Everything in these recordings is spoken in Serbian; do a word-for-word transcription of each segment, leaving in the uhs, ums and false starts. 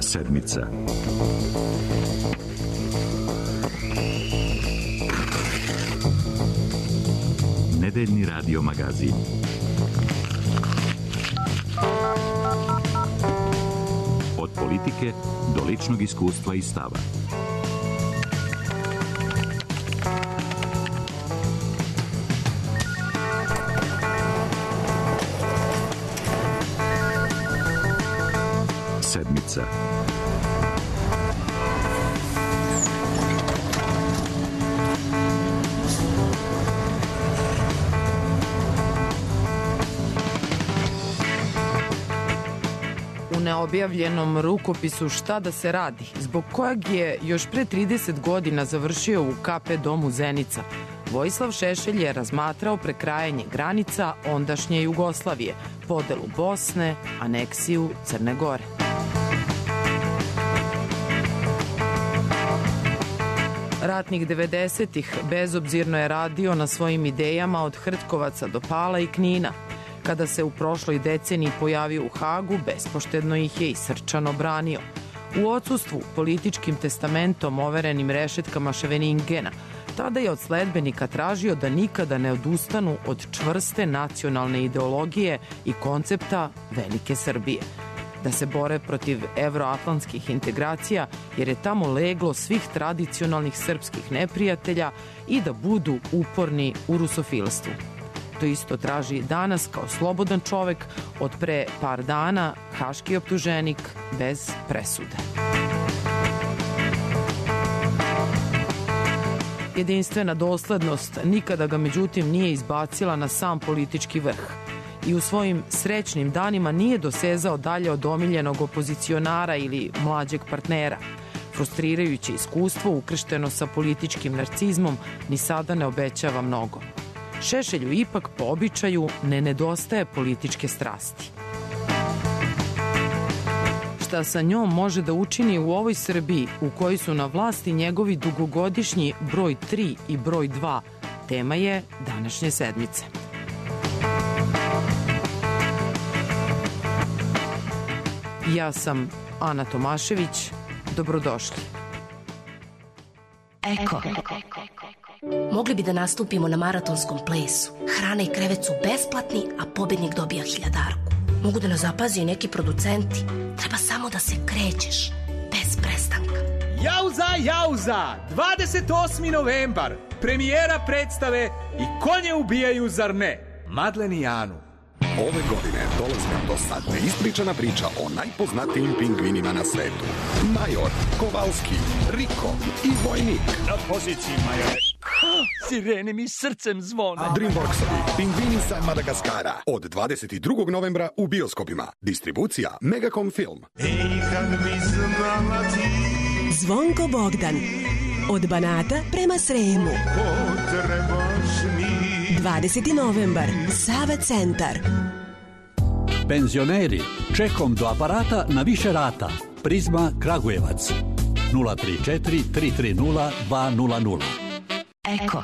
Sedmica. Nedeljni radio magazin. Od politike do ličnog iskustva i stava. Sedmica. U neobjavljenom rukopisu Šta da se radi, zbog kojeg je još pre trideset godina završio u K P domu Zenica, Vojislav Šešelj je razmatrao prekrajanje granica ondašnje Jugoslavije, podelu Bosne, aneksiju Crne Gore. Ratnih devedesetih bezobzirno je radio na svojim idejama od Hrtkovaca do Pala i Knina. Kada se u prošloj deceniji pojavio u Hagu, bespoštedno ih je i srčano branio. U odsustvu političkim testamentom overenim rešetkama Ševeningena, tada je od sledbenika tražio da nikada ne odustanu od čvrste nacionalne ideologije i koncepta Velike Srbije. Da se bore protiv evroatlantskih integracija, jer je tamo leglo svih tradicionalnih srpskih neprijatelja, i da budu uporni u rusofilstvu. To isto traži danas kao slobodan čovek, od pre par dana haški optuženik bez presude. Jedinstvena doslednost nikada ga međutim nije izbacila na sam politički vrh i u svojim srećnim danima nije dosezao dalje od omiljenog opozicionara ili mlađeg partnera. Frustrirajuće iskustvo ukršteno sa političkim narcizmom ni sada ne obećava mnogo. Šešelju ipak po običaju ne nedostaje političke strasti. Šta sa njom može da učini u ovoj Srbiji u kojoj su na vlasti njegovi dugogodišnji broj tri i broj dva, tema je današnje sedmice. Ja sam Ana Tomašević, dobrodošli. Eko. Mogli bi da nastupimo na maratonskom plesu. Hrana i krevet su besplatni, a pobednik dobija hiljadarku. Mogu da nas zapazi i neki producenti. Treba samo da se krećeš, bez prestanka. Jauza, jauza! dvadeset osmi novembar. Premijera predstave I konje ubijaju, zar ne? Madlen i Anu. Ove godine dolazi nam dosta neispričana priča o najpoznatijim pingvinima na svetu. Major, Kovalski, Riko i Vojnik. Na poziciji, majore. Sirene mi srcem zvone. Dreamworksovi Pingvini sa Madagaskara. Od dvadeset drugog novembra u bioskopima. Distribucija Megacom Film. Ej, kad bi znala ti. Zvonko Bogdan. Od Banata prema Sremu. Potrebaš mi. dvadeseti novembar. Sava centar. Penzioneri, čekom do aparata na više rata. Prizma Kragujevac. nula tri četiri tri tri nula dva nula nula. Eko.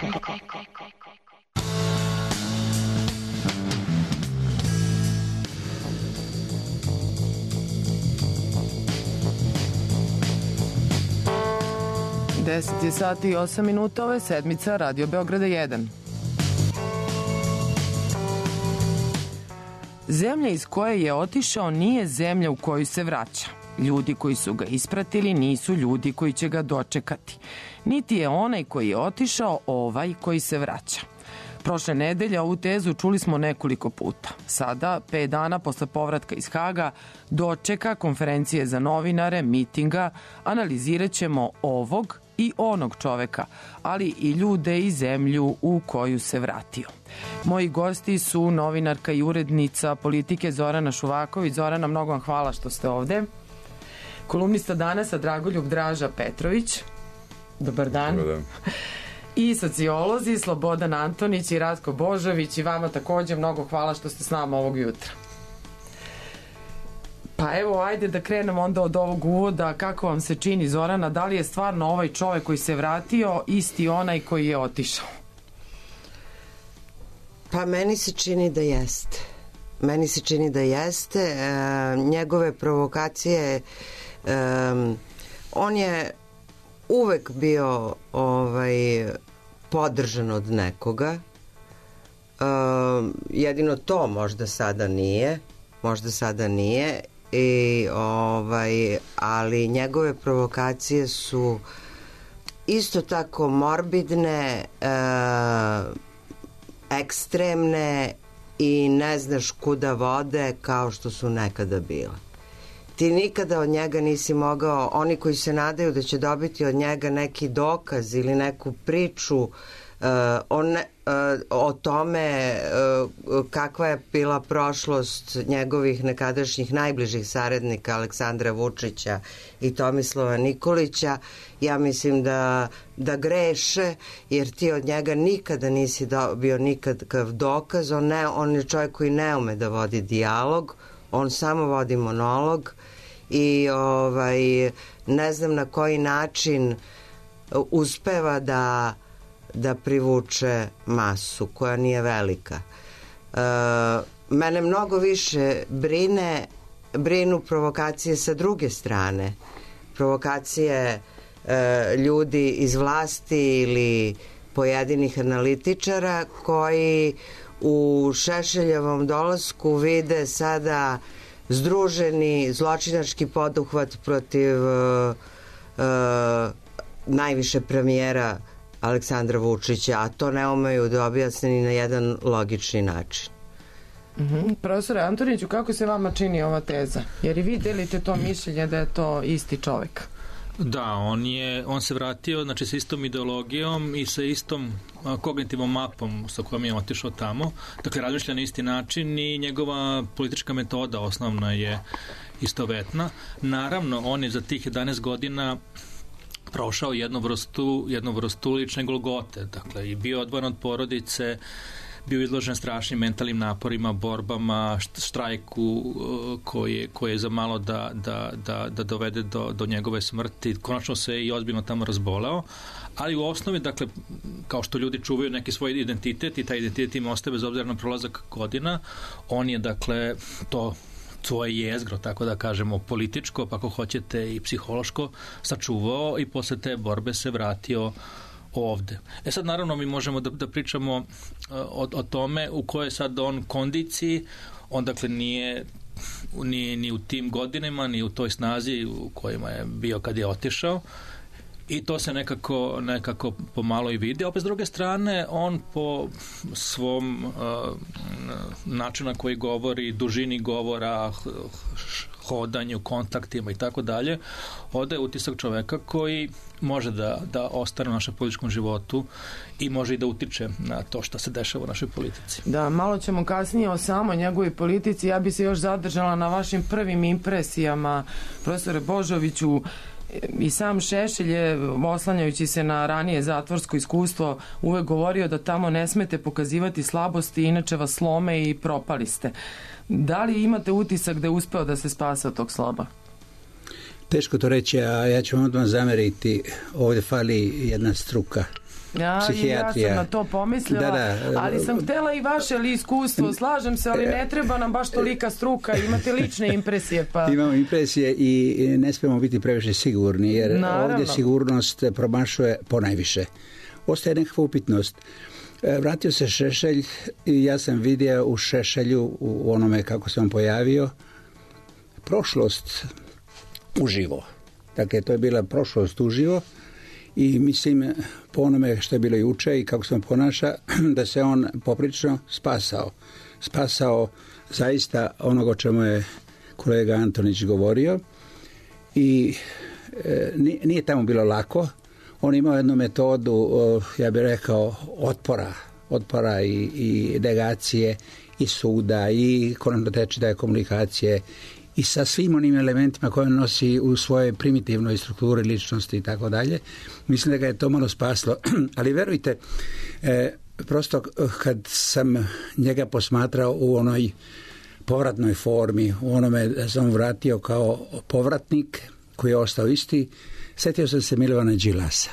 deset je sati i osam minuta, ovo je sedmica Radio Beograda jedan. Zemlja iz koje je otišao nije zemlja u koju se vraća. Ljudi koji su ga ispratili nisu ljudi koji će ga dočekati. Niti je onaj koji je otišao ovaj koji se vraća. Prošle nedelje ovu tezu čuli smo nekoliko puta. Sada, pet dana posle povratka iz Haga, dočeka, konferencije za novinare, mitinga, analizirat ćemo ovog i onog čoveka, ali i ljude i zemlju u koju se vratio. Moji gosti su novinarka i urednica politike Zorana Šuvaković. Zorana, mnogo vam hvala što ste ovde. Kolumnista Danasa Dragoljub Draža Petrović. Dobar dan. Dobar dan. I sociolozi Slobodan Antonić i Ratko Božović, i vama takođe mnogo hvala što ste s nama ovog jutra. Pa evo, ajde da krenemo onda od ovog uvoda. Kako vam se čini, Zorana, da li je stvarno ovaj čovek koji se vratio isti onaj koji je otišao? Pa meni se čini da jeste. meni se čini da jeste. E, njegove provokacije, e, on je uvek bio ovaj, podržan od nekoga. E, jedino to možda sada nije. Možda sada nije. I, ovaj, ali njegove provokacije su isto tako morbidne, e, ekstremne i ne znaš kuda vode kao što su nekada bile. Ti nikada od njega nisi mogao, oni koji se nadaju da će dobiti od njega neki dokaz ili neku priču uh, o, ne, uh, o tome uh, kakva je bila prošlost njegovih nekadašnjih najbližih saradnika Aleksandra Vučića i Tomislava Nikolića, ja mislim da, da greše, jer ti od njega nikada nisi dobio nikakav dokaz. On, ne, on je čovjek koji ne ume da vodi dijalog, on samo vodi monolog i ovaj, ne znam na koji način uspeva da, da privuče masu koja nije velika. E, mene mnogo više brine, brinu provokacije sa druge strane. Provokacije e, ljudi iz vlasti ili pojedinih analitičara koji u Šešeljevom dolasku vide sada združeni zločinački poduhvat protiv uh, uh, najviše premijera Aleksandra Vučića, a to ne umeju da objasne ni na jedan logični način. Mm-hmm. Profesore Antoniću, kako se vama čini ova teza? Jer i vi delite to mišljenje da je to isti čovjek. Da, on je, on se vratio, znači sa istom ideologijom i sa istom a, kognitivnom mapom sa kojom je otišao tamo. Dakle, razmišlja na isti način i njegova politička metoda osnovna je istovetna. Naravno, on je za tih jedanaest godina prošao jednu vrstu, jednu vrstu lične golgote. Dakle, i bio odvojen od porodice, bio izložen strašnim mentalnim naporima, borbama, štrajku koji, koji je za malo da, da, da, da dovede do, do njegove smrti. Konačno se i ozbiljno tamo razboleo, ali u osnovi, dakle, kao što ljudi čuvaju neki svoj identitet i taj identitet im ostaje bez obzira na prolazak godina, on je, dakle, to svoje jezgro, tako da kažemo, političko, pa ako hoćete i psihološko, sačuvao i posle te borbe se vratio ovde. E sad, naravno, mi možemo da, da pričamo o, o tome u kojoj sad on kondiciji, on dakle nije ni, ni u tim godinama, ni u toj snazi u kojima je bio kad je otišao, i to se nekako, nekako pomalo i vidi. Opet s druge strane, on po svom uh, načinu na koji govori, dužini govora, hodanju, kontaktima i tako dalje, odaje utisak čoveka koji može da, da ostane u našem političkom životu i može i da utiče na to što se dešava u našoj politici. Da, malo ćemo kasnije o samoj njegovoj politici. Ja bi se još zadržala na vašim prvim impresijama, profesore Božoviću. I sam Šešelj je, oslanjajući se na ranije zatvorsko iskustvo, uvek govorio da tamo ne smete pokazivati slabosti, inače vas slome i propali ste. Da li imate utisak da je uspeo da se spase od tog sloba? Teško to reći, a ja ću vam odmah zameriti. Ovdje fali jedna struka. Ja, ja sam na to pomislila, da, da, ali sam htjela i vaše li iskustvo, slažem se, ali ne treba nam baš tolika struka, imate lične impresije. Pa... Imamo impresije i ne smijemo biti previše sigurni, jer Naravno. Ovdje sigurnost promašuje ponajviše. Ostaje nekakva upitnost. Vratio se Šešelj i ja sam vidio u Šešelju, u onome kako se on pojavio, prošlost uživo. Dakle, to je bila prošlost uživo. I mislim, po onome što je bilo juče i kako se on ponaša, da se on poprično spasao. Spasao zaista onoga o čemu je kolega Antonić govorio. I e, nije tamo bilo lako. On imao jednu metodu, ja bih rekao, otpora. Otpora i, i negacije, i suda, i konačno tečitaje komunikacije, i sa svim onim elementima koje on nosi u svojoj primitivnoj strukturi ličnosti i tako dalje. Mislim da ga je to malo spaslo. Ali verujte, e, prosto kad sam njega posmatrao u onoj povratnoj formi, u onome da sam vratio kao povratnik koji je ostao isti, sjetio sam se Milovana Đilasa.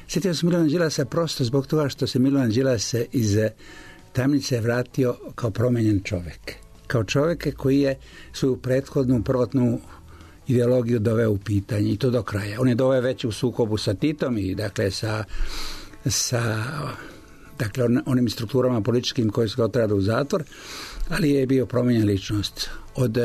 Sjetio sam Milovana Đilasa prosto zbog toga što se Milovan Đilas iz tamnice vratio kao promenjen čovjek. kao čovjeka koji je svoju prethodnu prvotnu ideologiju doveo u pitanje i to do kraja. On je doveo već u sukobu sa Titom i dakle sa, sa dakle, on, onim strukturama političkim koji su ga otrada u zatvor, ali je bio promijenjen ličnost. Od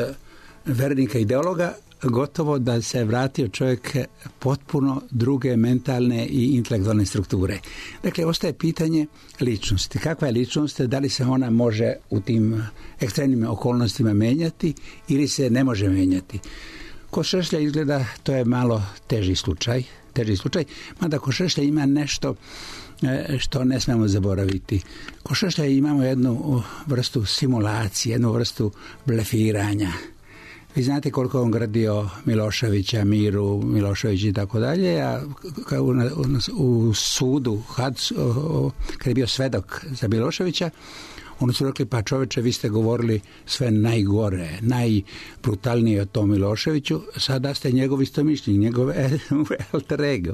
vernika ideologa gotovo da se vratio čovjek potpuno druge mentalne i intelektualne strukture. Dakle, ostaje pitanje ličnosti. Kakva je ličnost? Da li se ona može u tim ekstremnim okolnostima menjati ili se ne može menjati? Kod Šešlja izgleda to je malo teži slučaj, teži slučaj, mada kod Šešlja ima nešto što ne smemo zaboraviti. Kod Šešlja imamo jednu vrstu simulacije, jednu vrstu blefiranja. Vi znate koliko on gradio Miloševića, Miru, Milošević i tako dalje, a u, u, u sudu, kad, kad je bio svedok za Miloševića, oni su rekli, pa čoveče, vi ste govorili sve najgore, najbrutalnije o tom Miloševiću, sada ste njegov istomišljenik, njegov alter ego.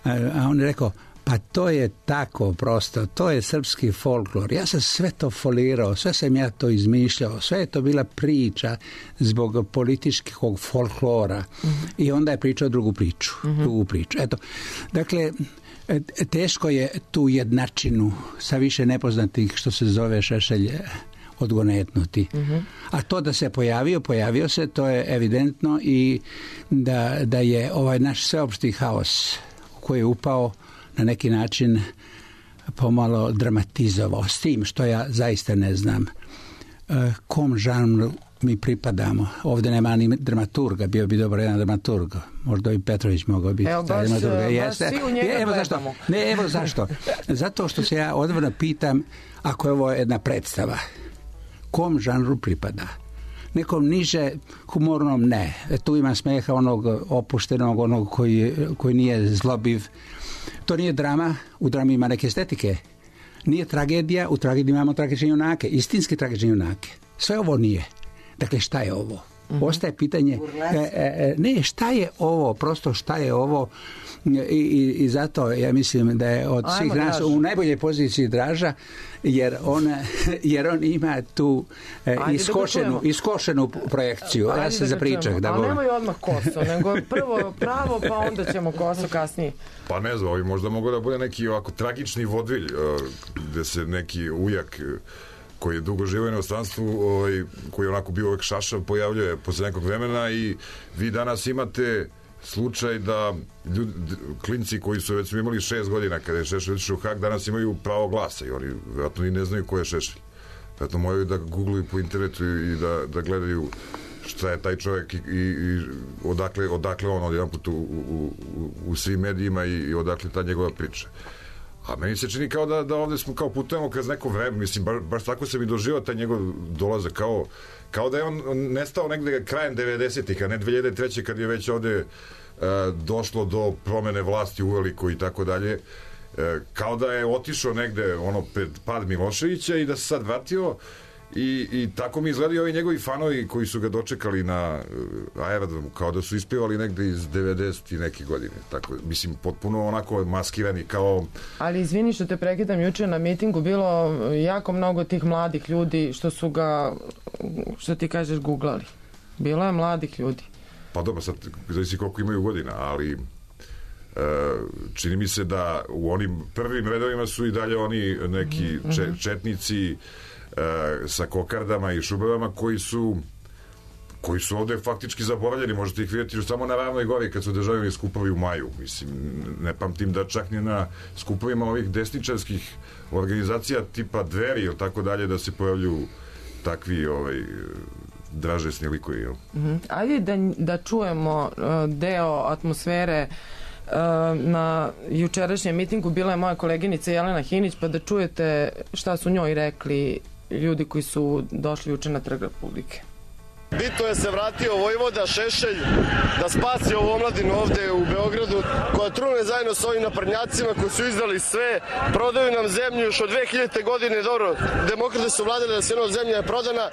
A on je rekao, pa to je tako prosto, to je srpski folklor. Ja sam sve to folirao, sve sam ja to izmišljao, sve je to bila priča zbog političkog folklora. Mm-hmm. I onda je pričao drugu priču. Mm-hmm. Drugu priču. Eto, dakle, teško je tu jednačinu sa više nepoznatih, što se zove Šešelj, odgonetnuti. Mm-hmm. A to da se pojavio, pojavio se, to je evidentno i da, da je ovaj naš sveopšti haos u koji je upao na neki način pomalo dramatizovao, s tim što ja zaista ne znam kom žanru mi pripadamo. Ovdje nema ni dramaturga, bio bi dobro jedan dramaturg. Možda i Petrović mogao biti. Evo, baš, baš svi u njega evo zašto. Ne, evo zašto. Zato što se ja odvrno pitam, ako je ovo jedna predstava, kom žanru pripada? Nekom niže humornom ne. Tu ima smeha onog opuštenog, onog koji, koji nije zlobiv. To nije drama, u drami ima neke estetike. Nije tragedija, u tragediji imamo tragične junake, istinski tragične junake. Sve ovo nije. Dakle, šta je ovo? Mm-hmm. Ostaje pitanje, e, e, ne, šta je ovo, prosto šta je ovo i, i, i zato ja mislim da je od svih nas Draž. U najboljoj poziciji Draža, jer on, jer on ima tu e, iskošenu, iskošenu projekciju. Ajde ja se zapričak. Da Ali nemoj odmah koso, nego prvo pravo, pa onda ćemo koso kasnije. Pa ne znam, možda mogu da bude neki ovako tragični vodvilj, gde se neki ujak koji je dugo živio u inostranstvu, ovaj, koji je onako bio uvek šašav, pojavljuje posle nekog vremena i vi danas imate slučaj da ljudi, klinci koji su već imali šest godina kada je Šešelj otišao u Hag, danas imaju pravo glasa i oni vjerojatno i ne znaju ko je Šešelj. Vjerojatno moraju da googluju po internetu i da, da gledaju šta je taj čovjek i, i, i odakle, odakle on odjedan put u, u, u, u svim medijima i, i odakle ta njegova priča. A meni se čini kao da, da ovdje smo kao putujemo kroz neko vreme, mislim, baš, baš tako se mi doživao taj njegov dolazak, kao, kao da je on nestao negde krajem devedesetih, a ne dve hiljade treće kad je već ovdje e, došlo do promene vlasti uveliko i tako dalje, e, kao da je otišao negde ono pred pad Miloševića i da se sad vratio i, i tako mi izgledaju ovi njegovi fanovi koji su ga dočekali na uh, aerodromu, kao da su ispevali negde iz devedeset i neke godine. Tako, mislim, potpuno onako maskirani kao... Ali izvini što te prekidam, juče na mitingu bilo jako mnogo tih mladih ljudi što su ga, što ti kažeš, googlali. Bilo je mladih ljudi. Pa dobro, sad zavisi koliko imaju godina, ali uh, čini mi se da u onim prvim redovima su i dalje oni neki mm-hmm. če, četnici sa kokardama i šubevama koji su koji su ovdje faktički zaboravljeni, možete ih vidjeti samo na Ravnoj gori kad su održavani skupovi u maju, mislim, ne pamtim da čak ni na skupovima ovih desničarskih organizacija tipa Dveri ili tako dalje da se pojavljuju takvi ovaj, dražesni likovi. Mm-hmm. Ajde da, da čujemo uh, deo atmosfere uh, na jučerašnjem mitingu. Bila je moja koleginica Jelena Hinić, pa da čujete šta su njoj rekli ljudi koji su došli juče na Trg Republike. Bitno je se vratio Vojvoda Šešelj da spasi ovu omladinu ovde u Beogradu koja trune zajedno s ovim naprednjacima koji su izdali sve, prodaju nam zemlju još od dve hiljadite godine, dobro, demokrate su vladali da se jedna zemlja je prodana,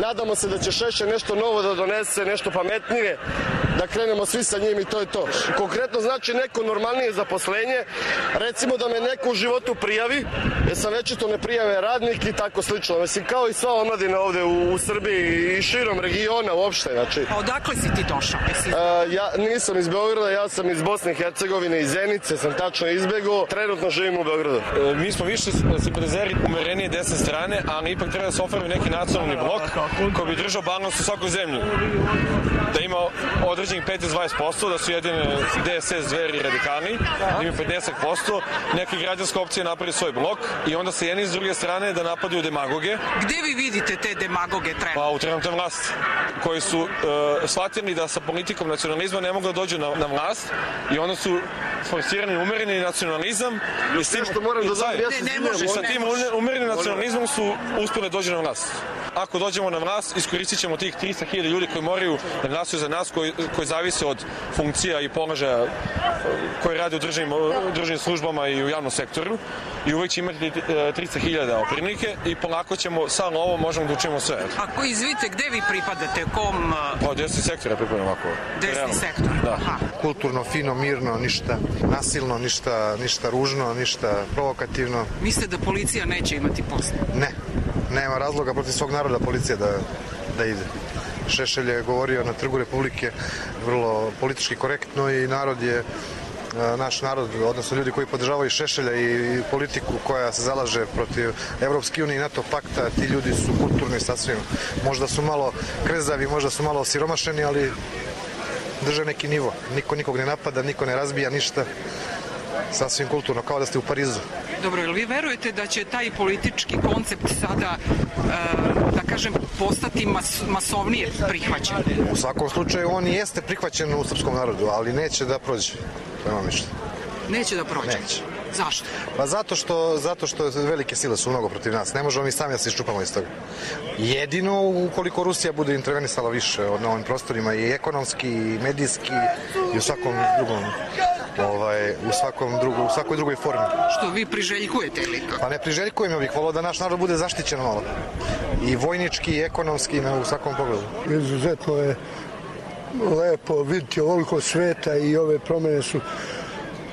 nadamo se da će Šešelj nešto novo da donese, nešto pametnije, da krenemo svi sa njim i to je to. Konkretno znači neko normalnije zaposlenje, recimo da me neko u životu prijavi, jer sam večito ne prijave radnik i tako slično. Mislim, kao i sva omladina ovde u, u Srbiji i širom regiona uopšte. Znači. A odakle si ti došao? Mislim? Uh, ja nisam iz Beograda, ja sam iz Bosne i Hercegovine, iz Zenice, sam tačno izbegao, trenutno živim u Beogradu. E, mi smo više simpatizeri umerenije desne strane, ali ipak treba da se oformi neki nacionalni blok koji bi držao balans u svakoj zemlji. Da ima određenih petnaest do dvadeset posto, da su jedine D S S, Dveri i Radikali, da ima pedeset posto, neka građanska opcija napravi svoj blok i onda se jedni s druge strane da napadaju demagoge. Gde vi vidite te demagoge trenutno? Pa u trenutnoj vlasti, koji su uh, shvatili da sa politikom nacionalizma ne mogu da dođu na, na vlast i onda su forsirani umereni nacionalizam i s tim, što moram da znam, ja ne, ne može, i sa tim umerenim nacionalizmom su uspjeli dođu na vlast. Ako dođemo na vlast, iskoristit ćemo tih trista hiljada ljudi koji moraju da glasuju za nas, koji, koji zavise od funkcija i položaja koji rade u državnim, državnim službama i u javnom sektoru i uvijek će imati tristo hiljada oprinike i polako ćemo, samo ovo možemo da učimo sve. Ako izvite, gde vi pripadate? Kom? Pa desni sektor, ja pripadam ovako. Desni realno. Sektor? Da. Aha. Kulturno, fino, mirno, ništa nasilno, ništa, ništa ružno, ništa provokativno. Mislite da policija neće imati posla? Ne. Nema razloga protiv svog naroda policija da, da ide. Šešelj je govorio na Trgu Republike vrlo politički korektno i narod je, naš narod, odnosno ljudi koji podržavaju Šešelja i politiku koja se zalaže protiv Evropske unije i NATO pakta, ti ljudi su kulturni sasvim. Možda su malo krezavi, možda su malo siromašeni, ali drže neki nivo. Niko nikog ne napada, niko ne razbija ništa. Sasvim kulturno, kao da ste u Parizu. Dobro, jel vi verujete da će taj politički koncept sada, e, da kažem, postati mas, masovnije prihvaćen? U svakom slučaju on jeste prihvaćen u srpskom narodu, ali neće da prođe. To je moje mišljenje. Neće da prođe? Neće. Zašto? Pa zato što, zato što velike sile su mnogo protiv nas. Ne možemo mi sami da se iščupamo iz toga. Jedino ukoliko Rusija bude intervenisala više na ovim prostorima i ekonomski, i medijski i u svakom drugom ovaj, u, svakom drugu, u svakoj drugoj formi. Što vi priželjkujete ili kako? Pa ne priželjkujem, ja bih volao da naš narod bude zaštićen malo. I vojnički, i ekonomski, u svakom pogledu. Izuzetno je lepo vidjeti ovoliko sveta i ove promjene su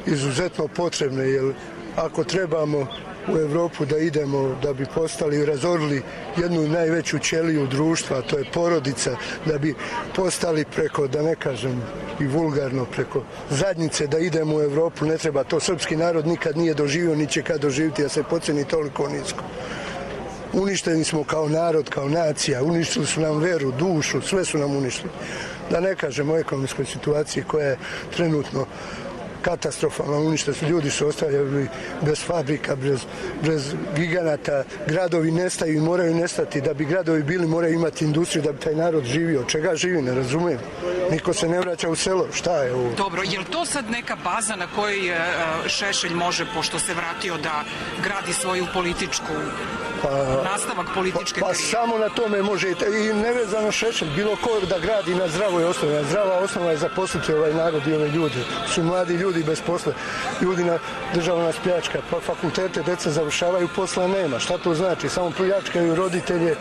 izuzetno potrebne, jer ako trebamo u Evropu da idemo da bi postali i razorili jednu najveću ćeliju društva, to je porodica, da bi postali preko, da ne kažem i vulgarno, preko zadnjice da idemo u Evropu, ne treba to. Srpski narod nikad nije doživio, ni će kad doživiti, da se poceni toliko nisko. Uništeni smo kao narod, kao nacija, uništili su nam veru, dušu, sve su nam uništili. Da ne kažem o ekonomskoj situaciji koja je trenutno katastrofalno uništeni su, ljudi su ostavljali bez fabrika, bez, bez giganata, gradovi nestaju i moraju nestati. Da bi gradovi bili, moraju imati industriju da bi taj narod živio. Od čega živi, ne razumijem. Niko se ne vraća u selo, šta je ovo? Dobro, je li to sad neka baza na kojoj Šešelj može, pošto se vratio, da gradi svoju političku, pa, nastavak političke pa, pa samo na tome može i nevezano Šešelj, bilo ko da gradi na zdravoj osnovi. Zdrava osnova je zaposliti ovaj narod i ove ljude. Su mladi ljudi bez posla, ljudi na država nas pljačka, pa fakultete deca završavaju, posla nema. Šta to znači? Samo pljačkaju roditelje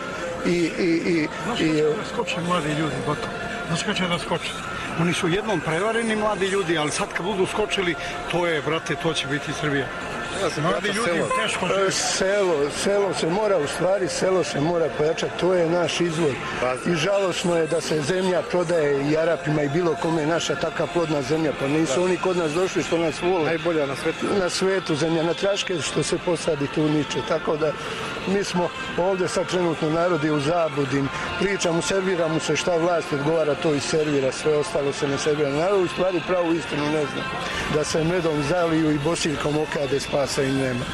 i... i, i, i, i skoče mladi ljudi, gotovo. Znaš kada će da skoče? Oni su jednom prevareni mladi ljudi, ali sad kad budu skočili, to je, brate, to će biti Srbija. Mladi ljudi selo. teško žive. Selo, selo se mora, u stvari, selo se mora pojačati, to je naš izvor. I žalosno je da se zemlja prodaje i Arapima i bilo kome, naša taka plodna zemlja, pa nisu oni kod nas došli što nas vole. Najbolja na svetu. Na svetu zemlja, na traške što se posadi tu niče, tako da mi smo ovdje sad trenutno narodi u zabludi, pričamo, serviramo se šta vlast odgovara, to i servira, sve ostalo se ne servira. Narod u stvari pravu istinu ne zna, da se medom zaliju i bosiljkom okade, spasa im nema.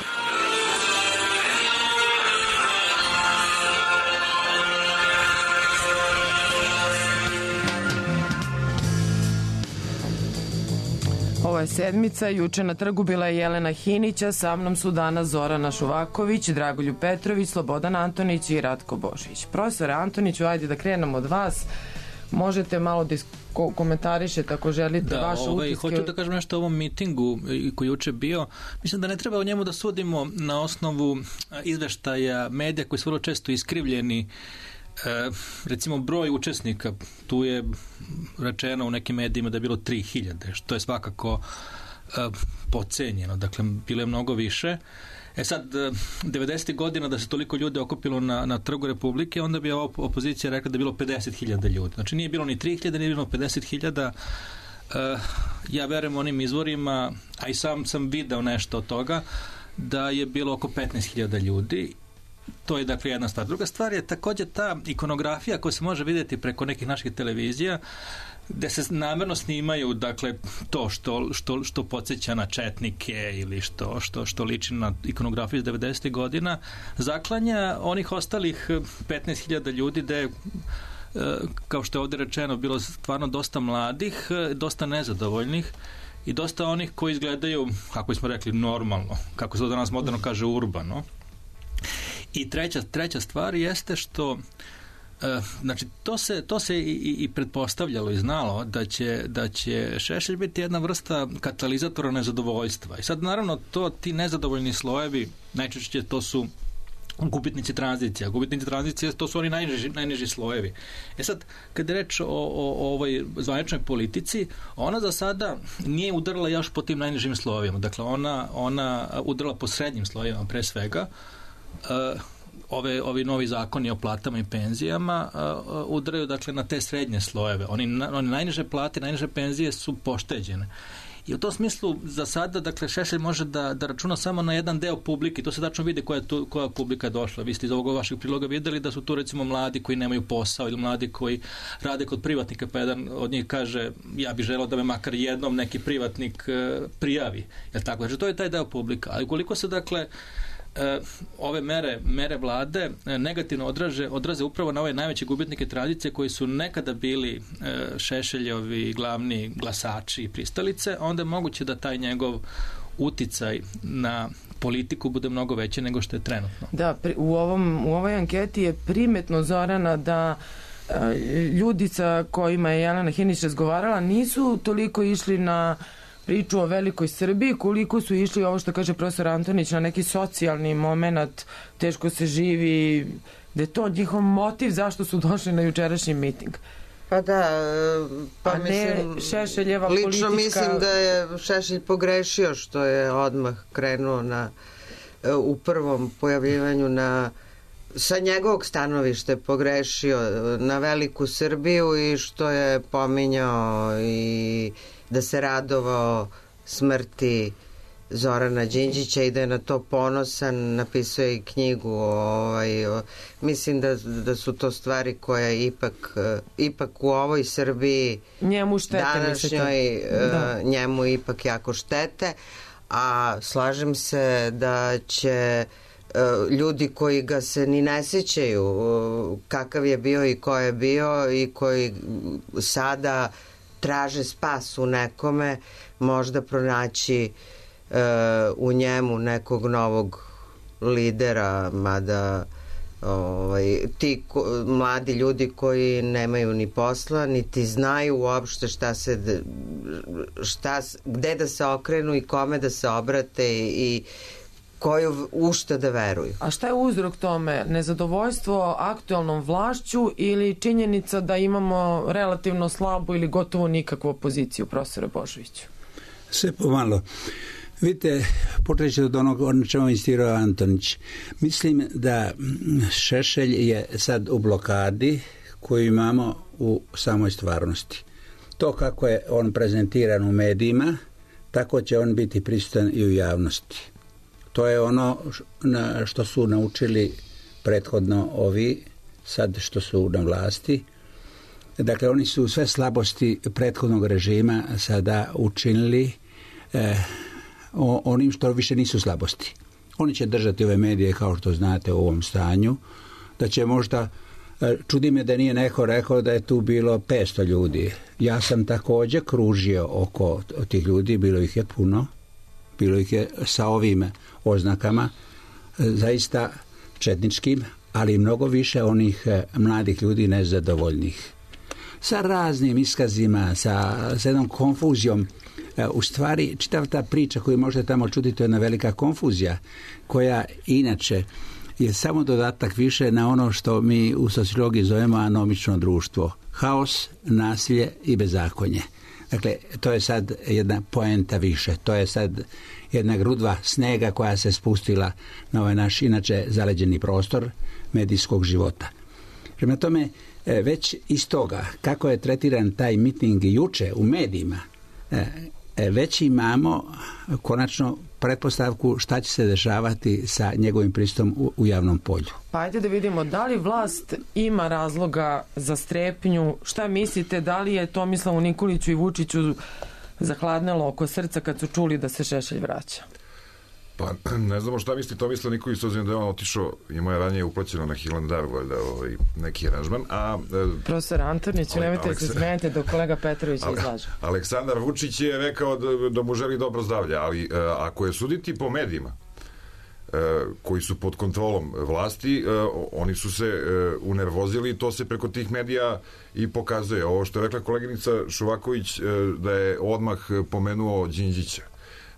Ovo je sedmica, juče na trgu bila je Jelena Hinića, sa mnom su danas Zorana Šuvaković, Dragoljub Petrović, Slobodan Antonić i Ratko Božić. Profesore Antoniću, ajde da krenemo od vas. Možete malo da komentarišete ako želite da, vaše ovaj, utiske. Hoću da kažem nešto o ovom mitingu koji je juče bio. Mislim da ne treba o njemu da sudimo na osnovu izveštaja medija koji su vrlo često iskrivljeni E, recimo broj učesnika, tu je rečeno u nekim medijima da je bilo tri hiljade, što je svakako e, podcenjeno, dakle bilo je mnogo više. E sad, devedesetih godina da se toliko ljudi okupilo na, na Trgu Republike, onda bi opozicija rekla da je bilo pedeset hiljada ljudi. Znači nije bilo ni tri hiljade, nije bilo pedeset hiljada. E, ja verujem onim izvorima, a i sam sam video nešto od toga, da je bilo oko petnaest hiljada ljudi. To je dakle jedna stvar. Druga stvar je također ta ikonografija koja se može vidjeti preko nekih naših televizija, gde se namjerno snimaju dakle to što, što, što podsjeća na četnike ili što, što, što liči na ikonografiju iz devedesetih godina, zaklanja onih ostalih petnaest hiljada ljudi gde je, kao što je ovdje rečeno, bilo stvarno dosta mladih, dosta nezadovoljnih i dosta onih koji izgledaju, kako smo rekli, normalno, kako se danas moderno kaže, urbano. I treća, treća stvar jeste što e, znači to se, to se i, i pretpostavljalo i znalo da će, da će Šešelj biti jedna vrsta katalizatora nezadovoljstva. I sad naravno to, ti nezadovoljni slojevi, najčešće to su gubitnici tranzicija. Gubitnici tranzicije, to su oni najniži, najniži slojevi. E sad, kad je reč o, o, o ovoj zvaničnoj politici, ona za sada nije udarila još po tim najnižim slojevima. Dakle, ona, ona udarila po srednjim slojevima pre svega. Uh, ove, ovi novi zakoni o platama i penzijama uh, udaraju dakle na te srednje slojeve. Oni, na, oni najniže plate, najniže penzije su pošteđene. I u tom smislu za sada, dakle, Šešelj može da, da računa samo na jedan deo publike. To se tačno vidi koja, tu, koja publika je došla. Vi ste iz ovog vašeg priloga videli da su tu recimo mladi koji nemaju posao ili mladi koji rade kod privatnika, pa jedan od njih kaže ja bih želeo da me makar jednom neki privatnik uh, prijavi. Jel tako? Znači to je taj deo publika. Ali koliko se dakle E, ove mere, mere vlade e, negativno odraže, odraze upravo na ove najveće gubitnike tradicije koji su nekada bili e, Šešeljovi glavni glasači i pristalice, onda je moguće da taj njegov uticaj na politiku bude mnogo veće nego što je trenutno. Da, pri, u, ovom, u ovoj anketi je primetno, Zorana, da e, ljudi sa kojima je Jelena Hinić razgovarala nisu toliko išli na priču o velikoj Srbiji, koliko su išli ovo što kaže profesor Antonić na neki socijalni moment, teško se živi, da je to njihov motiv zašto su došli na jučerašnji miting. Pa da, pa a mislim, ne Šešeljeva lično politička... mislim da je Šešelj pogrešio što je odmah krenuo na, u prvom pojavljivanju na, sa njegovog stanovišta je pogrešio na veliku Srbiju i što je pominjao i da se radovao smrti Zorana Đinđića i da je na to ponosan, napisao je i knjigu. Ovaj, o, mislim da, da su to stvari koje ipak, ipak u ovoj Srbiji njemu štete, današnjoj da. njemu ipak jako štete, a slažem se da će ljudi koji ga se ni ne sjećaju kakav je bio i ko je bio i koji sada traže spas u nekome, možda pronaći e, u njemu nekog novog lidera, mada ovaj, ti ko, mladi ljudi koji nemaju ni posla, niti znaju uopšte šta se šta, gde da se okrenu i kome da se obrate i, i koju u šta da veruju. A šta je uzrok tome? Nezadovoljstvo aktualnom vlašću ili činjenica da imamo relativno slabu ili gotovo nikakvu opoziciju, profesore Božoviću? Sve pomalo. Vidite, počeći od onog o čemu je insistirao Antonić. Mislim da Šešelj je sad u blokadi koju imamo u samoj stvarnosti. To kako je on prezentiran u medijima, tako će on biti prisutan i u javnosti. To je ono na što su naučili prethodno ovi, sad što su na vlasti. Dakle, oni su sve slabosti prethodnog režima sada učinili eh, onim što više nisu slabosti. Oni će držati ove medije, kao što znate, u ovom stanju, da će možda, eh, čudi me da nije neko rekao da je tu bilo petsto ljudi. Ja sam također kružio oko tih ljudi, bilo ih je puno, bilo ih je sa ovim oznakama, zaista četničkim, ali mnogo više onih mladih ljudi nezadovoljnih. Sa raznim iskazima, sa, sa jednom konfuzijom. U stvari, čitav ta priča koju možete tamo čuti, to je jedna velika konfuzija, koja inače je samo dodatak više na ono što mi u sociologiji zovemo anomično društvo. Haos, nasilje i bezakonje. Dakle, to je sad jedna poenta više. To je sad jedna grudva snega koja se spustila na ovaj naš inače zaleđeni prostor medijskog života. Prema tome, već iz toga, kako je tretiran taj miting juče u medijima, već imamo konačno pretpostavku šta će se dešavati sa njegovim pristupom u, u javnom polju. Pa ajde da vidimo, da li vlast ima razloga za strepnju? Šta mislite, da li je Tomislavu Nikoliću i Vučiću zahladnelo oko srca kad su čuli da se Šešelj vraća? Pa ne znamo šta misli Tomislav Nikolić, s obzirom da je on otišao, ima je ranije uplaćeno na Hilandar, valjda, ovaj, neki aranžman. A, profesor Antornić, ale, nemojte Aleksa... se smenite dok kolega Petrović ale, izlaže. Aleksandar Vučić je rekao da, da mu želi dobro zdravlje, ali a, ako je suditi po medijima, a, koji su pod kontrolom vlasti, a, oni su se a, unervozili i to se preko tih medija i pokazuje. Ovo što je rekla koleginica Šuvaković, a, da je odmah pomenuo Đinđića.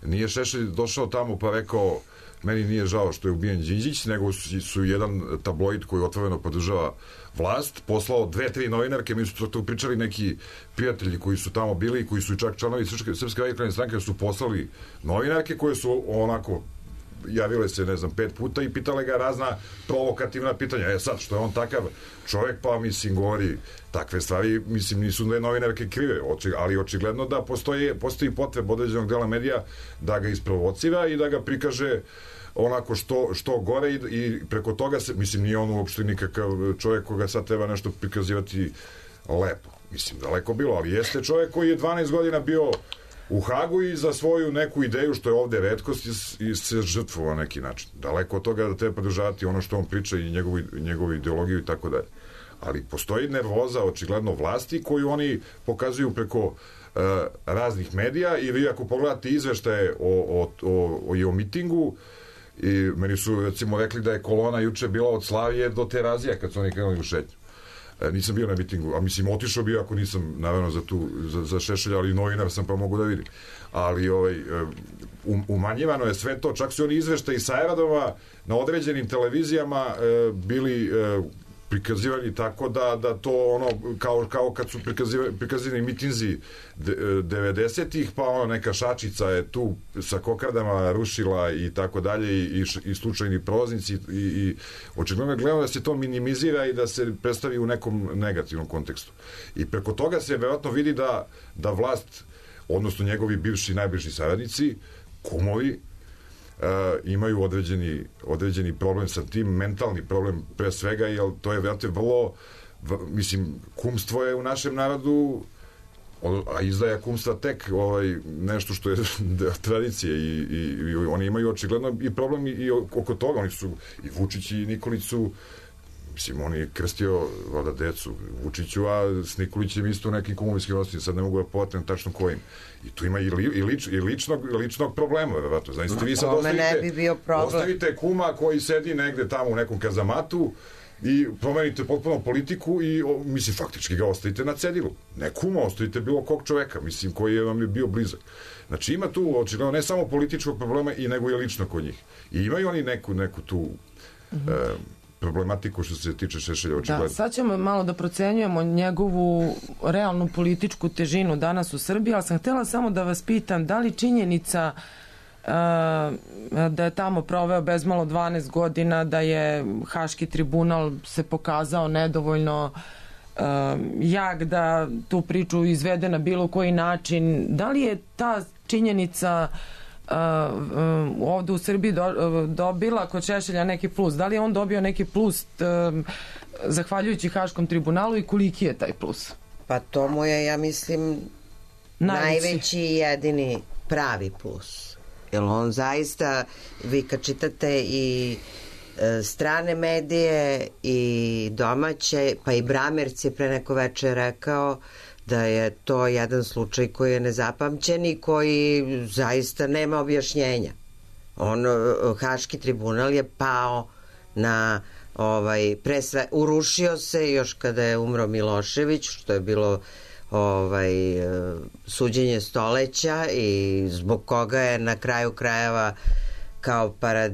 Nije Šešelj došao tamo pa rekao meni nije žao što je ubijen Đinđić, nego su, su jedan tabloid koji otvoreno podržava vlast poslao dve, tri novinarke, mi su to pričali neki prijatelji koji su tamo bili i koji su čak članovi Srpske, Srpske radikalne stranke, su poslali novinarke koje su onako javile se, ne znam, pet puta i pitale ga razna provokativna pitanja. E sad, što je on takav čovjek, pa mislim, govori takve stvari, mislim, nisu da je novinarke krive, ali očigledno da postoji, postoji potreb određenog dela medija da ga isprovocira i da ga prikaže onako što, što gore i, i preko toga se, mislim, nije on uopšte nikakav čovjek koga sad treba nešto prikazivati lepo. Mislim, daleko bilo, ali jeste čovjek koji je dvanaest godina bio u Hagu i za svoju neku ideju, što je ovde retkost, i se žrtvovao na neki način. Daleko od toga da treba podržavati ono što on priča i njegovu, njegovu ideologiju i tako dalje. Ali postoji nervoza, očigledno, vlasti koju oni pokazuju preko uh, raznih medija i vi ako pogledate izveštaje o, o, o, o, o mitingu, i meni su recimo rekli da je kolona juče bila od Slavije do Terazija kad su oni krenuli u šetnju. Nisam bio na mitingu, a mislim otišao bio ako nisam naravno za tu za, za Šešelja, ali novinar sam pa mogu da vidim. Ali ovaj um, umanjivano je sve to, čak su oni izveštaji sa aerodroma na određenim televizijama e, bili e, prikazivani tako da, da to ono kao, kao kad su prikazivani, prikazivani mitinzi devedesetih, pa ono neka šačica je tu sa kokardama rušila i tako dalje i, i, i slučajni prolaznici i, i očigledno gledamo da se to minimizira i da se predstavi u nekom negativnom kontekstu. I preko toga se vjerojatno vidi da, da vlast, odnosno njegovi bivši najbliži saradnici, kumovi, Uh, imaju određeni, određeni problem sa tim, mentalni problem pre svega, jer to je vjerojatno vrlo, v, mislim, kumstvo je u našem narodu, a izdaja kumstva tek ovaj, nešto što je tradicije i, i, i oni imaju očigledno i problem i, i oko toga, oni su i Vučić i Nikolić su, mislim, on je krstio vada decu Vučiću, a s Nikolićem isto nekim kumovinskim osnovima, sad ne mogu da povatim tačno kojim. I tu ima i, li, i, lič, i ličnog, ličnog problema, verovatno. Znači, vi sad ostavite, bi bio ostavite kuma koji sedi negde tamo u nekom kazamatu i promenite potpuno politiku i, o, mislim, faktički ga ostavite na cedilu. Ne kuma, ostavite bilo kog čoveka, mislim, koji je vam je bio blizak. Znači, ima tu, očigledno, ne samo političkog problema, i nego je lično kod njih. I imaju oni neku, neku tu... Mm-hmm. E, problematiku što se tiče Šešelja očigledno. Da, sad ćemo malo da procenjujemo njegovu realnu političku težinu danas u Srbiji, ali sam htjela samo da vas pitam da li činjenica uh, da je tamo proveo bezmalo dvanaest godina, da je Haški tribunal se pokazao nedovoljno uh, jak da tu priču izvede na bilo koji način, da li je ta činjenica Uh, uh, ovdje u Srbiji do, uh, dobila kod Šešelja neki plus? Da li je on dobio neki plus uh, zahvaljujući Haškom tribunalu i koliki je taj plus? Pa to mu je, ja mislim, najveći, najveći i jedini pravi plus. Jer on zaista, vi kad čitate i e, strane medije i domaće, pa i Bramerc je pre neko večer rekao da je to jedan slučaj koji je nezapamćen i koji zaista nema objašnjenja. On, Haški tribunal je pao na ovaj, pre sve, urušio se još kada je umro Milošević, što je bilo ovaj, suđenje stoleća i zbog koga je na kraju krajeva kao parad,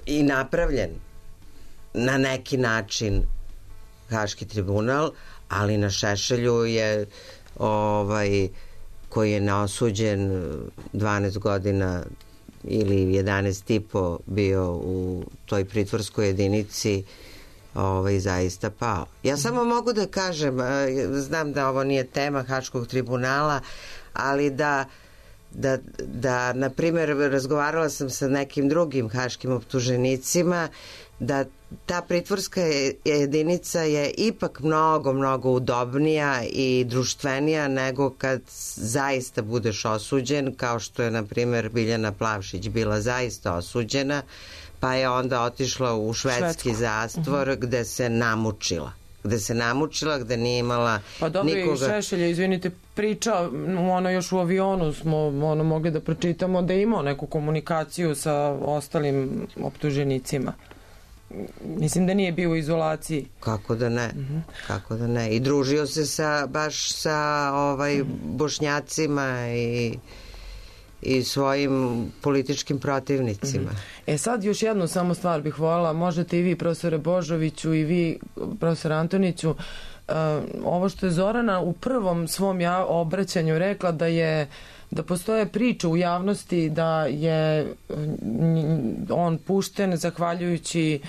i napravljen na neki način Haški tribunal, ali na Šešelju je ovaj, koji je neosuđen dvanaest godina ili jedanaest i po bio u toj pritvorskoj jedinici, ovaj, zaista pao. Ja samo mogu da kažem, znam da ovo nije tema Haškog tribunala, ali da da, da na primjer, razgovarala sam sa nekim drugim haškim optuženicima, da ta pritvorska jedinica je ipak mnogo, mnogo udobnija i društvenija nego kad zaista budeš osuđen, kao što je, na primjer, Biljana Plavšić bila zaista osuđena, pa je onda otišla u švedski Švedsko. zastvor uh-huh. gde se namučila. Gde se namučila, gde nije imala pa dobro, nikoga... i Šešelja, izvinite, priča, ono još u avionu smo ono mogli da pročitamo da je imao neku komunikaciju sa ostalim optuženicima. Mislim da nije bio u izolaciji. Kako da ne? Uh-huh. Kako da ne? I družio se sa, baš sa ovaj, uh-huh. Bošnjacima i i svojim političkim protivnicima. E sad još jednu samo stvar bih voljela, možete i vi, profesore Božoviću, i vi, profesor Antoniću, uh, ovo što je Zorana u prvom svom ja, obraćanju rekla da je da postoje priče u javnosti da je on pušten zahvaljujući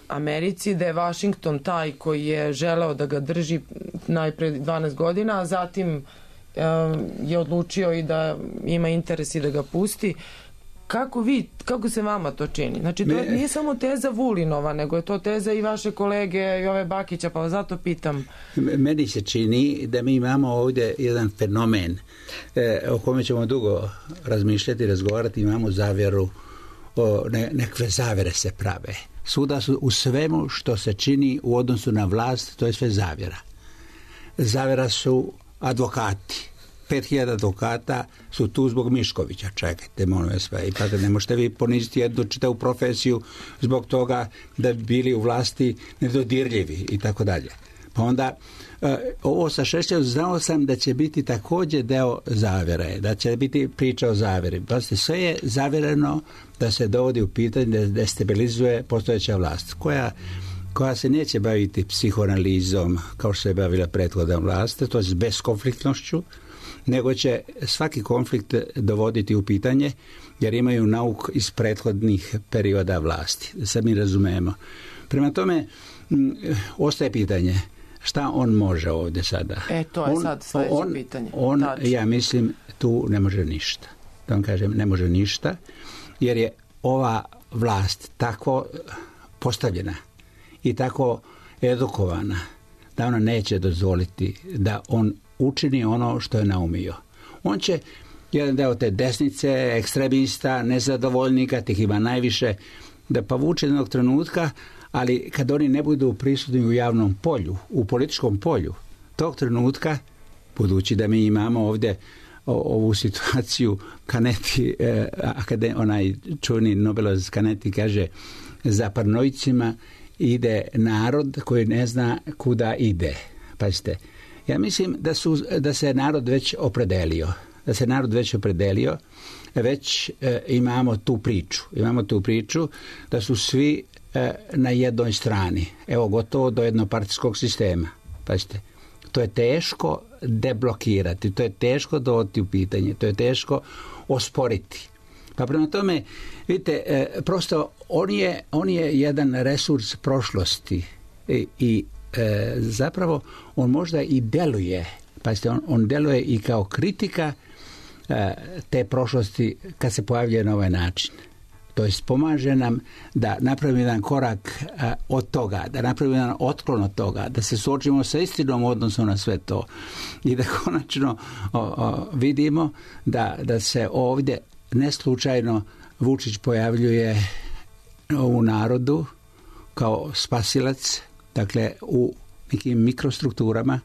Americi, da je Washington taj koji je želeo da ga drži najpre dvanaest godina, a zatim je odlučio i da ima interes i da ga pusti. Kako vi, kako se vama to čini? Znači, to Me, nije samo teza Vulinova, nego je to teza i vaše kolege Jove Bakića, pa zato pitam. Meni se čini da mi imamo ovdje jedan fenomen e, o kome ćemo dugo razmišljati, razgovarati. Imamo zavjeru, o, ne, nekve zavjere se prave. Svuda su u svemu što se čini u odnosu na vlast, to je sve zavjera. Zavjera su advokati. pet hiljada advokata su tu zbog Miškovića. Čekajte, molim vas, i pa ne možete vi poniziti jednu čitavu profesiju zbog toga da bi bili u vlasti nedodirljivi i tako dalje. Pa onda ovo sa Šešeljom znao sam da će biti također deo zavjere, da će biti priča o zavjeri. Pa sve je zavjereno da se dovodi u pitanje da destabilizuje postojeća vlast, koja koja se neće baviti psihoanalizom kao što se je bavila prethodna vlast, to je s beskonfliktnošću, nego će svaki konflikt dovoditi u pitanje, jer imaju nauk iz prethodnih perioda vlasti. Da sad mi razumemo. Prema tome, m, ostaje pitanje šta on može ovdje sada. E, to je on, sad sljedeće on, pitanje. On, Tači. ja mislim, tu ne može ništa. Da vam kažem, ne može ništa, jer je ova vlast tako postavljena i tako edukovana da ona neće dozvoliti da on učini ono što je naumio. On će jedan deo te desnice, ekstremista, nezadovoljnika, tih ima najviše, da povuče jednog trenutka, ali kad oni ne budu prisutni u javnom polju, u političkom polju, tog trenutka, budući da mi imamo ovdje o, ovu situaciju, Kaneti, eh, akade, onaj čuveni Nobelovac Kaneti kaže, za paranoicima ide narod koji ne zna kuda ide. Pazite, ja mislim da, su, da se narod već opredelio. Da se narod već opredelio, već e, imamo tu priču. Imamo tu priču da su svi e, na jednoj strani. Evo, gotovo do jednopartijskog sistema. Pazite, to je teško deblokirati, to je teško dovoditi u pitanje, to je teško osporiti. Pa prema tome, vidite, e, prosto on je, on je jedan resurs prošlosti i, i e, zapravo on možda i deluje, pazite, on, on deluje i kao kritika e, te prošlosti kad se pojavljuje na ovaj način. To jest pomaže nam da napravimo jedan korak a, od toga, da napravimo jedan otklon od toga, da se suočimo sa istinom u odnosu na sve to i da konačno o, o, vidimo da, da se ovdje ne slučajno Vučić pojavljuje u narodu kao spasilac, dakle u nekim mikrostrukturama,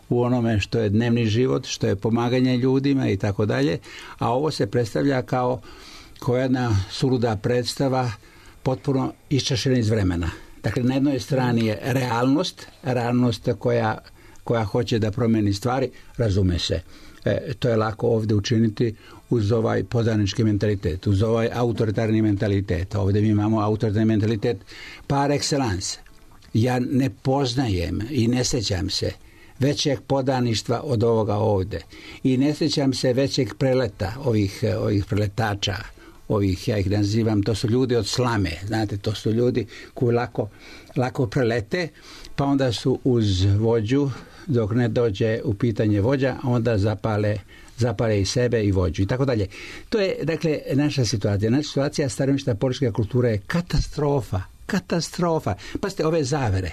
u onome što je dnevni život, što je pomaganje ljudima i tako dalje, a ovo se predstavlja kao koja jedna suluda predstava potpuno iščašena iz vremena. Dakle, na jednoj strani je realnost, realnost koja, koja hoće da promeni stvari, razume se. E, to je lako ovdje učiniti uz ovaj podanički mentalitet, uz ovaj autoritarni mentalitet. Ovdje mi imamo autoritarni mentalitet par excellence. Ja ne poznajem i ne sjećam se većeg podaništva od ovoga ovde. I ne sjećam se većeg preleta ovih, ovih preletača, ovih, ja ih nazivam, to su ljudi od slame, znate, to su ljudi koji lako, lako prelete, pa onda su uz vođu, dok ne dođe u pitanje vođa, onda zapale, zapale i sebe i vođu i tako dalje. To je, dakle, naša situacija. Naša situacija staromišta politička kultura je katastrofa. Katastrofa. Pazite, ove zavere.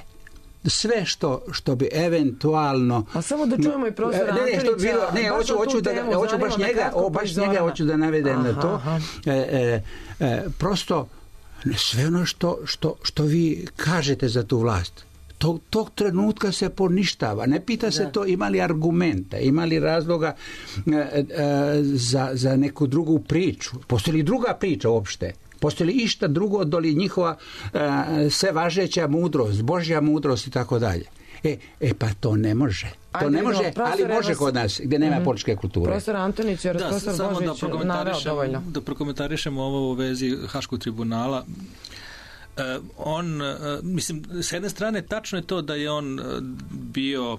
Sve što, što bi eventualno... A samo da čujemo i profesora Antonića. Ne, bilo, ne hoću, hoću, da, hoću baš njega, o, baš njega hoću da navedem aha, na to. E, e, e, prosto, sve ono što, što, što vi kažete za tu vlast, tog, tog trenutka se poništava. Ne pita se da. To ima li argumenta, ima li razloga e, e, za, za neku drugu priču. Postoji li druga priča uopšte? Postoji li išta drugo doli njihova e, sve važeća mudrost, Božja mudrost i tako dalje. E, e pa to ne može. To Ajde, ne može, ali može vas... kod nas, gdje nema mm-hmm. političke kulture. Profesor Antonić, jer profesor Božić naveo dovoljno. Da prokomentarišemo ovo u vezi Haškog tribunala. Uh, on, uh, mislim, s jedne strane tačno je to da je on uh, bio uh,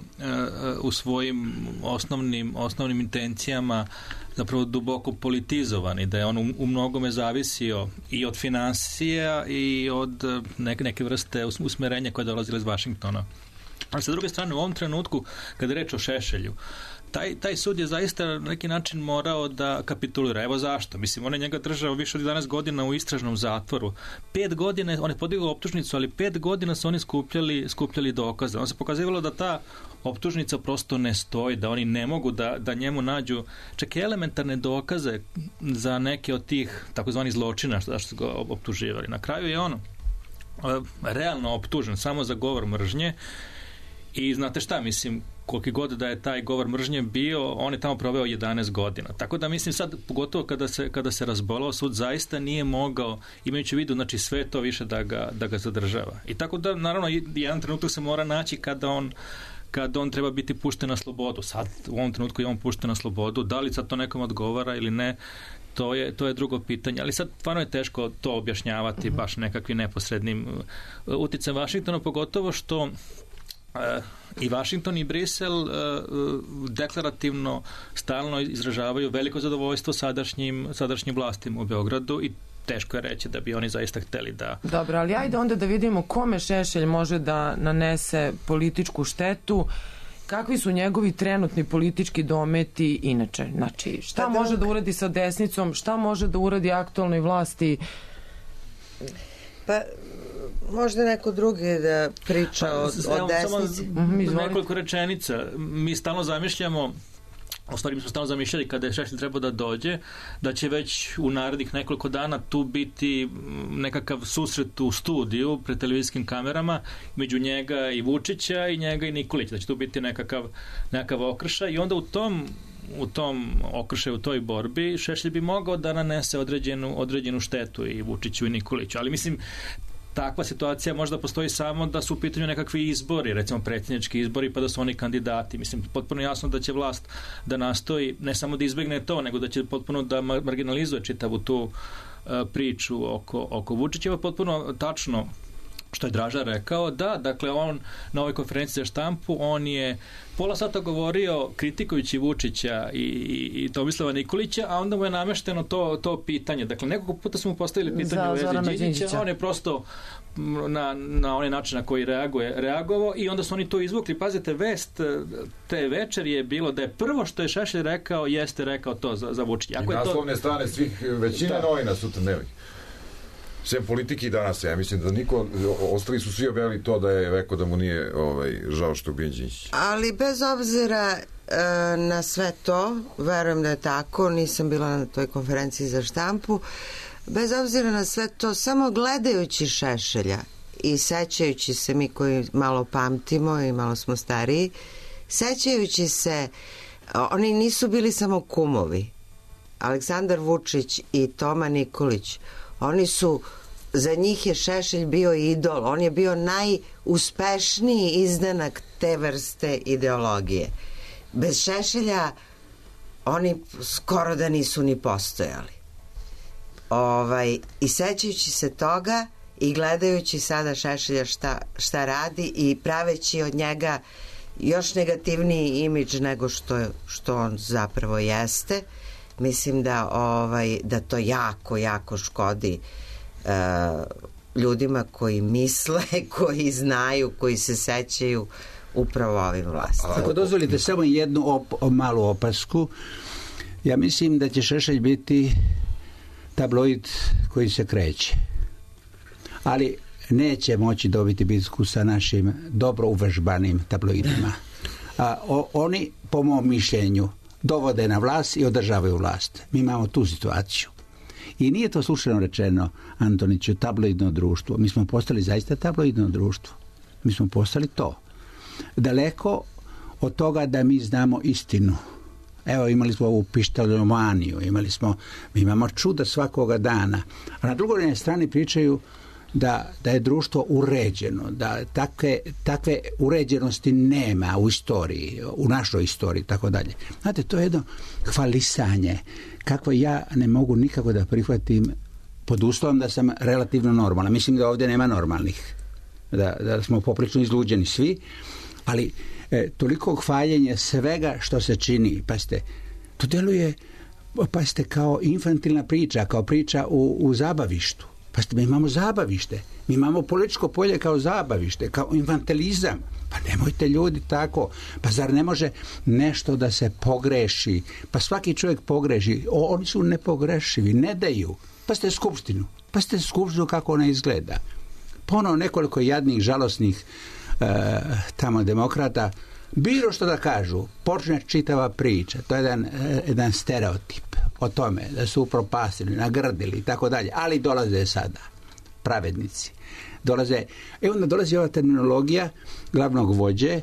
u svojim osnovnim, osnovnim intencijama zapravo duboko politizovan i da je on u, u mnogome zavisio i od finansija i od uh, neke, neke vrste usmerenja koje dolazile iz Vašingtona. Ali sa druge strane, u ovom trenutku, kada je reč o Šešelju, Taj, taj sud je zaista na neki način morao da kapitulira. Evo zašto. Mislim, on je njega držao više od jedanaest godina u istražnom zatvoru. Pet godina, on je podigao optužnicu, ali pet godina su oni skupljali, skupljali dokaze. On se pokazivalo da ta optužnica prosto ne stoji, da oni ne mogu da, da njemu nađu čak i elementarne dokaze za neke od tih takozvani zločina što su ga optuživali. Na kraju je on realno optužen samo za govor mržnje i znate šta, mislim, koliki god da je taj govor mržnje bio, on je tamo proveo jedanaest godina. Tako da mislim sad, pogotovo kada se, kada se razbolao, sud zaista nije mogao, imajući u vidu, znači sve to više da ga, da ga zadržava. I tako da, naravno, jedan trenutak se mora naći kada on kada on treba biti pušten na slobodu. Sad, u ovom trenutku je on pušten na slobodu. Da li sad to nekom odgovara ili ne, to je, to je drugo pitanje. Ali sad, stvarno je teško to objašnjavati uh-huh. baš nekakvim neposrednim uticajem Vašingtona, pogotovo što Uh, i Vašington i Brisel uh, deklarativno stalno izražavaju veliko zadovoljstvo sadašnjim, sadašnjim vlastima u Beogradu i teško je reći da bi oni zaista hteli da... Dobro, ali ajde onda da vidimo kome Šešelj može da nanese političku štetu, kakvi su njegovi trenutni politički dometi inače. Znači, šta pa može da uradi sa desnicom, šta može da uradi aktualnoj vlasti? Pa... Možda neko drugi da priča pa, o, o desnici. Samo nekoliko rečenica. Mi stalno zamišljamo, u stvari mi smo stalno zamišljali kada je Šešelj trebao da dođe, da će već u narednih nekoliko dana tu biti nekakav susret u studiju pred televizijskim kamerama među njega i Vučića i njega i Nikolića. Da će tu biti nekakav, nekakav okršaj i onda u tom u tom okršaju, u toj borbi Šešelj bi mogao da nanese određenu, određenu štetu i Vučiću i Nikoliću. Ali mislim, takva situacija možda postoji samo da su u pitanju nekakvi izbori, recimo predsjednički izbori, pa da su oni kandidati. Mislim, potpuno jasno da će vlast da nastoji ne samo da izbegne to, nego da će potpuno da marginalizuje čitavu tu uh, priču oko, oko Vučića. Potpuno tačno što je Draža rekao, da, dakle on na ovoj konferenciji za štampu, on je pola sata govorio kritikujući Vučića i, i, i Tomislava Nikolića, a onda mu je namešteno to, to pitanje. Dakle, nekoliko puta smo mu postavili pitanje u vezi Đinđića, on je prosto na, na onaj način na koji reaguje, reagovao i onda su oni to izvukli. Pazite, vest te večer je bilo da je prvo što je Šešelj rekao, jeste rekao to za, za Vučića. I naslovne to... strane svih većine novina sutra dnevnih. Sve politiki danas, ja mislim da niko, ostali su svi objavili to da je rekao da mu nije ovaj, žao što je ubijen Đinđić. Ali bez obzira e, na sve to, verujem da je tako, nisam bila na toj konferenciji za štampu, bez obzira na sve to, samo gledajući Šešelja i sećajući se mi koji malo pamtimo i malo smo stariji, sećajući se, oni nisu bili samo kumovi. Aleksandar Vučić i Toma Nikolić, oni su, za njih je Šešelj bio idol, on je bio najuspešniji izdanak te vrste ideologije. Bez Šešelja oni skoro da nisu ni postojali. Ovaj, i sećajući se toga i gledajući sada Šešelja šta, šta radi i praveći od njega još negativniji imidž nego što, što on zapravo jeste, mislim da, ovaj, da to jako, jako škodi uh, ljudima koji misle, koji znaju, koji se sećaju upravo ovim vlastima. Ako dozvolite samo jednu op, malu opasku, ja mislim da će Šešelj biti tabloid koji se kreće. Ali neće moći dobiti bitku sa našim dobro uvežbanim tabloidima. A, o, oni, po mom mišljenju, dovode na vlast i održavaju vlast. Mi imamo tu situaciju. I nije to slučajno rečeno, Antoniću, tabloidno društvo. Mi smo postali zaista tabloidno društvo. Mi smo postali to. Daleko od toga da mi znamo istinu. Evo, imali smo ovu pištoljomaniju, imali smo, mi imamo čuda svakoga dana. A na drugoj strani pričaju da, da je društvo uređeno, da takve, takve uređenosti nema u istoriji, u našoj istoriji, tako dalje. Znate, to je jedno hvalisanje kako ja ne mogu nikako da prihvatim pod uslovom da sam relativno normalan. Mislim da ovdje nema normalnih, da, da smo poprično izluđeni svi, ali e, toliko hvaljenja svega što se čini, pa ste, to deluje, pa ste kao infantilna priča, kao priča u, u zabavištu. Pa ste, mi imamo zabavište, mi imamo političko polje kao zabavište, kao infantilizam. Pa nemojte ljudi tako, pa zar ne može nešto da se pogreši? Pa svaki čovjek pogreši, o, oni su nepogrešivi, ne daju. Pa ste skupštinu, pa ste skupštinu kako ona izgleda. Ponovo nekoliko jadnih, žalosnih e, tamo demokrata, bilo što da kažu, počne čitava priča, to je jedan, jedan stereotip o tome da su upropastili, nagrdili i tako dalje, ali dolaze sada pravednici. Dolaze, i onda dolazi ova terminologija glavnog vođe,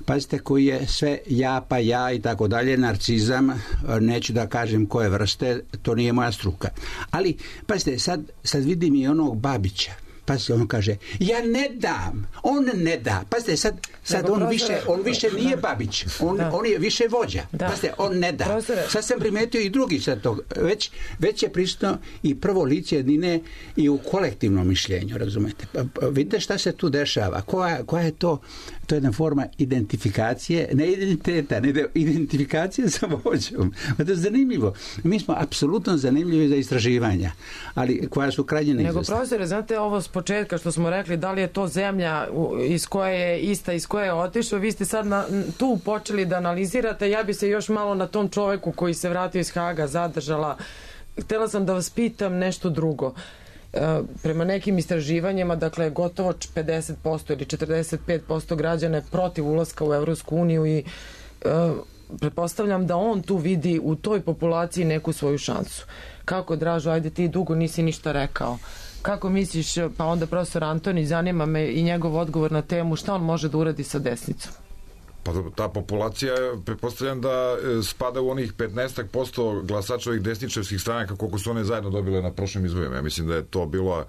pazite, koji je sve ja pa ja i tako dalje, narcizam, neću da kažem koje vrste, to nije moja struka. Ali, pazite, sad, sad vidim i onog Babića. Pazite, on kaže, ja ne dam, on ne da. Pazite, sad, sad on, više, on više nije Babić, on, on je više vođa. Da. Pazite, on ne da. Profesore. Sad sam primetio i drugi sad tog. Već, već je prisutno i prvo lice jedine i u kolektivnom mišljenju, razumete. Pa, pa, vidite šta se tu dešava. Koja, koja je to, to je jedna forma identifikacije, ne identiteta, ne identifikacije sa vođom. To je zanimljivo. Mi smo apsolutno zanimljivi za istraživanja, ali koja su krajnje neizvesna. Nego, profesore, znate ovo s početka što smo rekli, da li je to zemlja iz koje je ista, iz koje je otišao, vi ste sad na, tu počeli da analizirate, ja bi se još malo na tom čoveku koji se vratio iz Haga zadržala. Htjela sam da vas pitam nešto drugo. E, prema nekim istraživanjima, dakle, gotovo pedeset posto ili četrdeset pet posto građana je protiv ulaska u Evropsku uniju i e, pretpostavljam da on tu vidi u toj populaciji neku svoju šansu. Kako, Dražo, ajde ti dugo nisi ništa rekao. Kako misliš, pa onda profesor Antoni, zanima me i njegov odgovor na temu, šta on može da uradi sa desnicom? Pa ta populacija, pretpostavljam da spada u onih petnaest posto glasača ovih desničarskih stranaka koliko su one zajedno dobile na prošlim izborima. Ja mislim da je to bila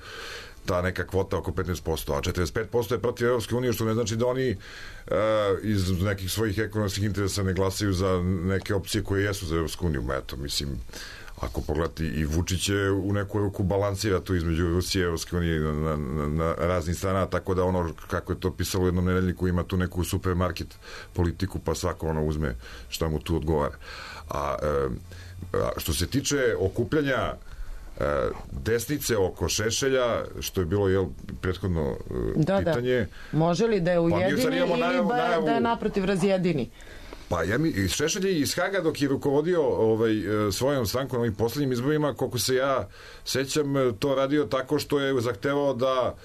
ta neka kvota oko petnaest posto, a četrdeset pet posto je protiv Evropske unije, što ne znači da oni uh, iz nekih svojih ekonomskih interesa ne glasaju za neke opcije koje jesu za Evropsku uniju. Eto, mislim, ako pogledati i Vučić je u neku ruku balansira tu između Rusije i Evropske unije na, na, na raznih strana, tako da ono kako je to pisalo u jednom nedeljniku ima tu neku supermarket politiku, pa svako ono uzme šta mu tu odgovara. A, a što se tiče okupljanja a, desnice oko Šešelja, što je bilo jel, prethodno da, pitanje. Da. Može li da je ujedini pa, ili najavu, ba, najavu, da je naprotiv razjedini? Pa ja mi, Šešelj je iz Haga dok je rukovodio ovaj, svojom strankom ovim posljednjim izborima, koliko se ja sećam, to radio tako što je zahtevao da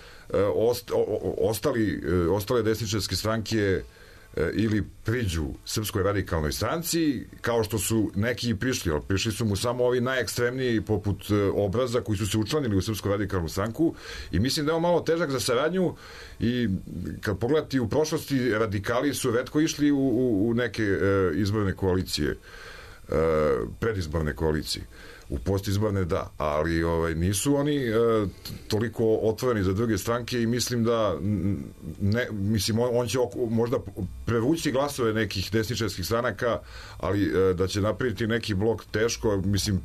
ost, o, ostali, ostale desničarske stranke ili priđu Srpskoj radikalnoj stranci, kao što su neki prišli, ali prišli su mu samo ovi najekstremniji poput Obraza koji su se učlanili u Srpsku radikalnu stranku i mislim da je on malo težak za saradnju i kad pogledati u prošlosti radikali su retko išli u, u, u neke e, izborne koalicije, e, predizborne koalicije. U postizborne da, ali ovaj, nisu oni e, toliko otvoreni za druge stranke i mislim da ne, mislim, on, on će oko, možda prevući glasove nekih desničarskih stranaka, ali e, da će napraviti neki blok teško, mislim,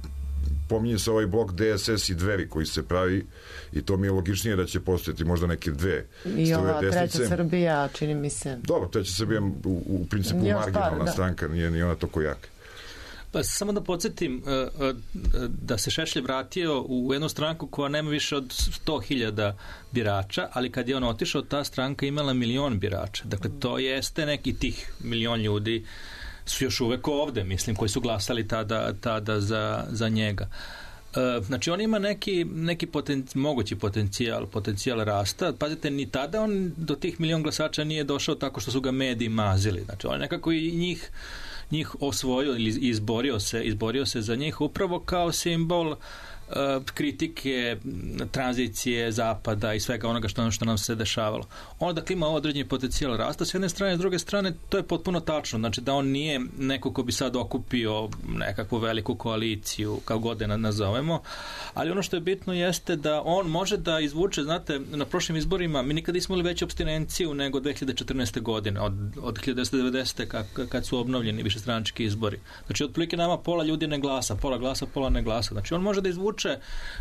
pominje se ovaj blok D S S i Dveri koji se pravi i to mi je logičnije da će postojati možda neke dve i struje ova desnice. Treća Srbija, čini mi se. Dobro, Treća Srbija u, u principu Još marginalna par, da. stranka, nije ni ona toko jaka. Pa samo da podsjetim da se Šešelj vratio u jednu stranku koja nema više od sto hiljada birača, ali kad je on otišao, ta stranka imala milion birača. Dakle, to jeste neki tih milion ljudi su još uvek ovde, mislim, koji su glasali tada, tada za, za njega. Znači, on ima neki, neki potencijal, mogući potencijal, potencijal rasta. Pazite, ni tada on do tih milion glasača nije došao tako što su ga mediji mazili. Znači, on nekako i njih njih osvojio ili izborio se, izborio se za njih upravo kao simbol uh, kritike, tranzicije zapada i svega onoga što, što nam se dešavalo. On dakle ima određeni potencijal rasta s jedne strane, s druge strane to je potpuno tačno, znači da on nije neko ko bi sad okupio nekakvu veliku koaliciju, kao god da nazovemo, ali ono što je bitno jeste da on može da izvuče, znate, na prošlim izborima mi nikada nismo imali veću apstinenciju nego dve hiljade četrnaeste. godine, od, od hiljadu devetsto devedesete. Kad, kad su obnovljeni višestranački izbori. Znači, otprilike nama pola ljudi ne glasa, pola glasa, pola ne glasa. Znači, on može da izvuče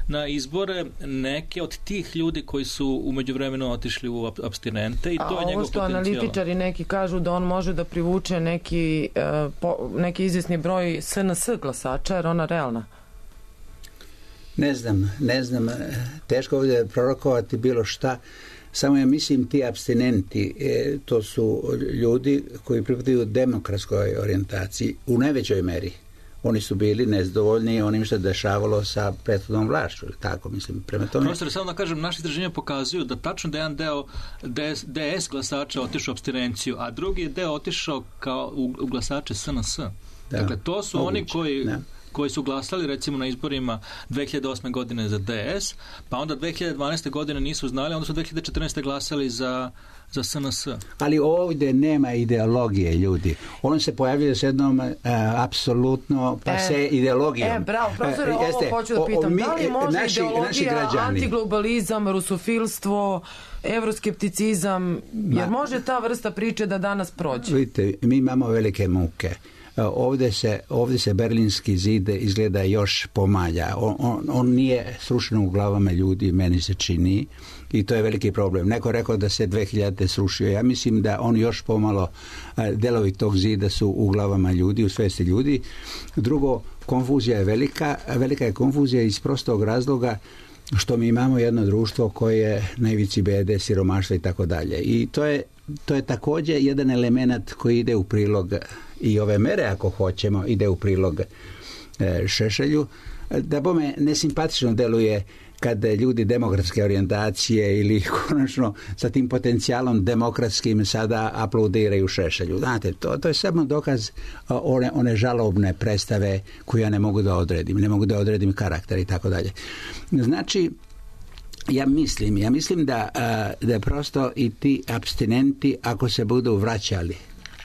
na izbore neke od tih ljudi koji su u međuvremenu otišli u apstinente i to a je njegov ovo što potencijal. analitičari neki kažu da on može da privuče neki, uh, po, neki izvjesni broj S N S glasača, jer ona realna. Ne znam, ne znam, teško ovdje prorokovati bilo šta, samo ja mislim ti apstinenti, e, to su ljudi koji pripadaju demokratskoj orijentaciji u najvećoj meri. Oni su bili nezadovoljni onim što je dešavalo sa prethodnom vlašću, tako mislim, prema tome. Profesor, samo da kažem, naši istraženja pokazuju da tačno da jedan deo D S glasača otišao u apstinenciju, a drugi deo otišao kao u, u glasače S N S. Da, dakle, to su moguće. Oni koji... Da. koji su glasali recimo na izborima dve hiljade osme. godine za D S, pa onda dve hiljade dvanaeste. godine nisu znali, onda su dve hiljade četrnaeste. glasali za, za S N S. Ali ovdje nema ideologije, ljudi. On se pojavljuje s jednom uh, apsolutno pase e, ideologijom. E, bravo, profesor, uh, ovo hoću da pitam. O, mi, da li može naši, ideologija, naši antiglobalizam, rusofilstvo, evroskepticizam, jer može ta vrsta priče da danas prođe? Vidite, mi imamo velike muke. Ovdje se, ovdje se Berlinski zid izgleda još pomalja. On, on, on nije srušen u glavama ljudi, meni se čini, i to je veliki problem. Neko rekao da se dve hiljade srušio. Ja mislim da on još pomalo, delovi tog zida su u glavama ljudi, u svesti ljudi. Drugo, konfuzija je velika. Velika je konfuzija iz prostog razloga što mi imamo jedno društvo koje je na ivici bede, siromaštva i tako dalje. I to je, to je također jedan element koji ide u prilog i ove mere, ako hoćemo, ide u prilog e, Šešelju. Da bome nesimpatično deluje kad ljudi demokratske orijentacije ili konačno sa tim potencijalom demokratskim sada aplaudiraju Šešelju. Znate, to, to je samo dokaz one, one žalobne predstave koje ja ne mogu da odredim. Ne mogu da odredim karakter i tako dalje. Znači, ja mislim, ja mislim da, da prosto i ti apstinenti, ako se budu vraćali,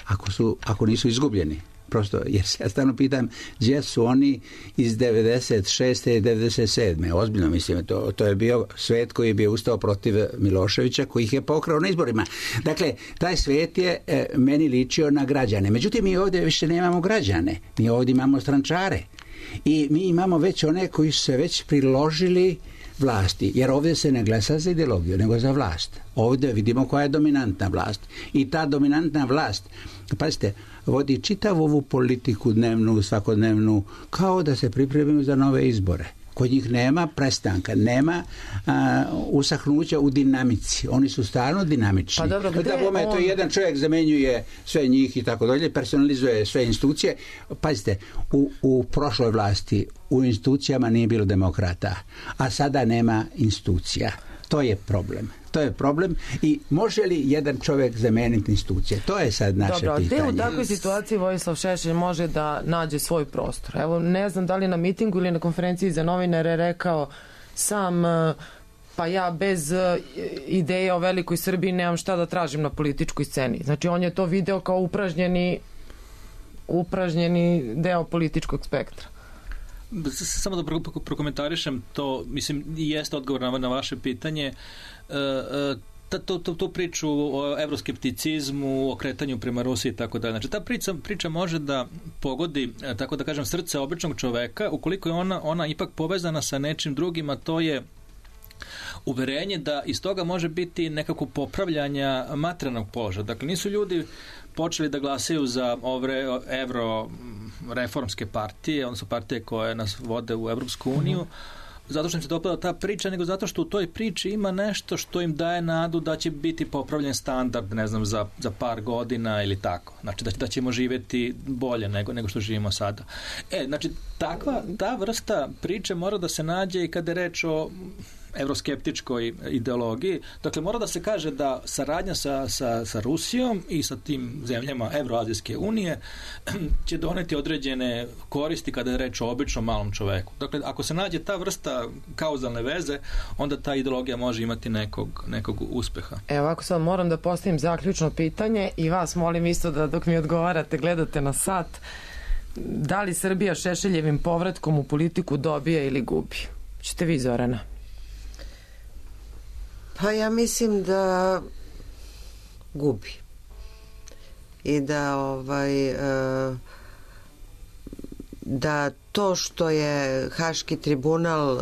ako, su, ako nisu izgubljeni, prosto, jer se ja stalno pitam gdje su oni iz devedeset šeste i devedeset sedme Ozbiljno mislim, to, to je bio svet koji je bio ustao protiv Miloševića, koji ih je pokrao na izborima. Dakle, taj svet je e, meni ličio na građane. Međutim, mi ovdje više nemamo građane. Mi ovdje imamo strančare. I mi imamo već one koji su se već priložili vlasti, jer ovdje se ne glasa za ideologiju, nego za vlast. Ovdje vidimo koja je dominantna vlast. I ta dominantna vlast, pazite, vodi čitavu ovu politiku dnevnu, svakodnevnu, kao da se pripremimo za nove izbore. Kod njih nema prestanka, nema a, usahnuća u dinamici. Oni su stalno dinamični. Pa dobro, gde da bome, on... to jedan čovjek zamenjuje sve njih i tako dalje, personalizuje sve institucije. Pazite, u, u prošloj vlasti u institucijama nije bilo demokrata, a sada nema institucija. To je problem. To je problem i može li jedan čovjek zameniti institucije? To je sad naše Dobro, pitanje. Dobro, u takvoj situaciji Vojislav Šešelj može da nađe svoj prostor. Evo, ne znam da li na mitingu ili na konferenciji za novinare rekao sam, pa ja bez ideje o velikoj Srbiji nemam šta da tražim na političkoj sceni. Znači, on je to video kao upražnjeni upražnjeni deo političkog spektra. Samo da prokomentarišem to, mislim, jeste odgovor na, na vaše pitanje. E, e, tu, tu, tu priču o evroskepticizmu, o kretanju prema Rusiji i tako dalje. Znači, ta priča, priča može da pogodi, tako da kažem, srce običnog čoveka, ukoliko je ona, ona ipak povezana sa nečim drugim, a to je uverenje da iz toga može biti nekako popravljanja materijalnog položaja. Dakle, nisu ljudi počeli da glasaju za ove evro reformske partije, odnosno partije koje nas vode u Evropsku uniju, zato što im se dopada ta priča, nego zato što u toj priči ima nešto što im daje nadu da će biti popravljen standard, ne znam, za, za par godina ili tako. Znači, da, da ćemo živjeti bolje nego, nego što živimo sada. E, znači, takva, ta vrsta priče mora da se nađe i kada je reč o evroskeptičkoj ideologiji. Dakle, mora da se kaže da saradnja sa, sa, sa Rusijom i sa tim zemljama Evroazijske unije će doneti određene koristi kada je reč o običnom malom čoveku. Dakle, ako se nađe ta vrsta kauzalne veze, onda ta ideologija može imati nekog, nekog uspeha. Evo, ako sad moram da postavim zaključno pitanje i vas molim isto da dok mi odgovarate gledate na sat, da li Srbija Šešeljevim povratkom u politiku dobija ili gubi? Čete vi, Zorana? Pa ja mislim da gubi i da ovaj da to što je Haški tribunal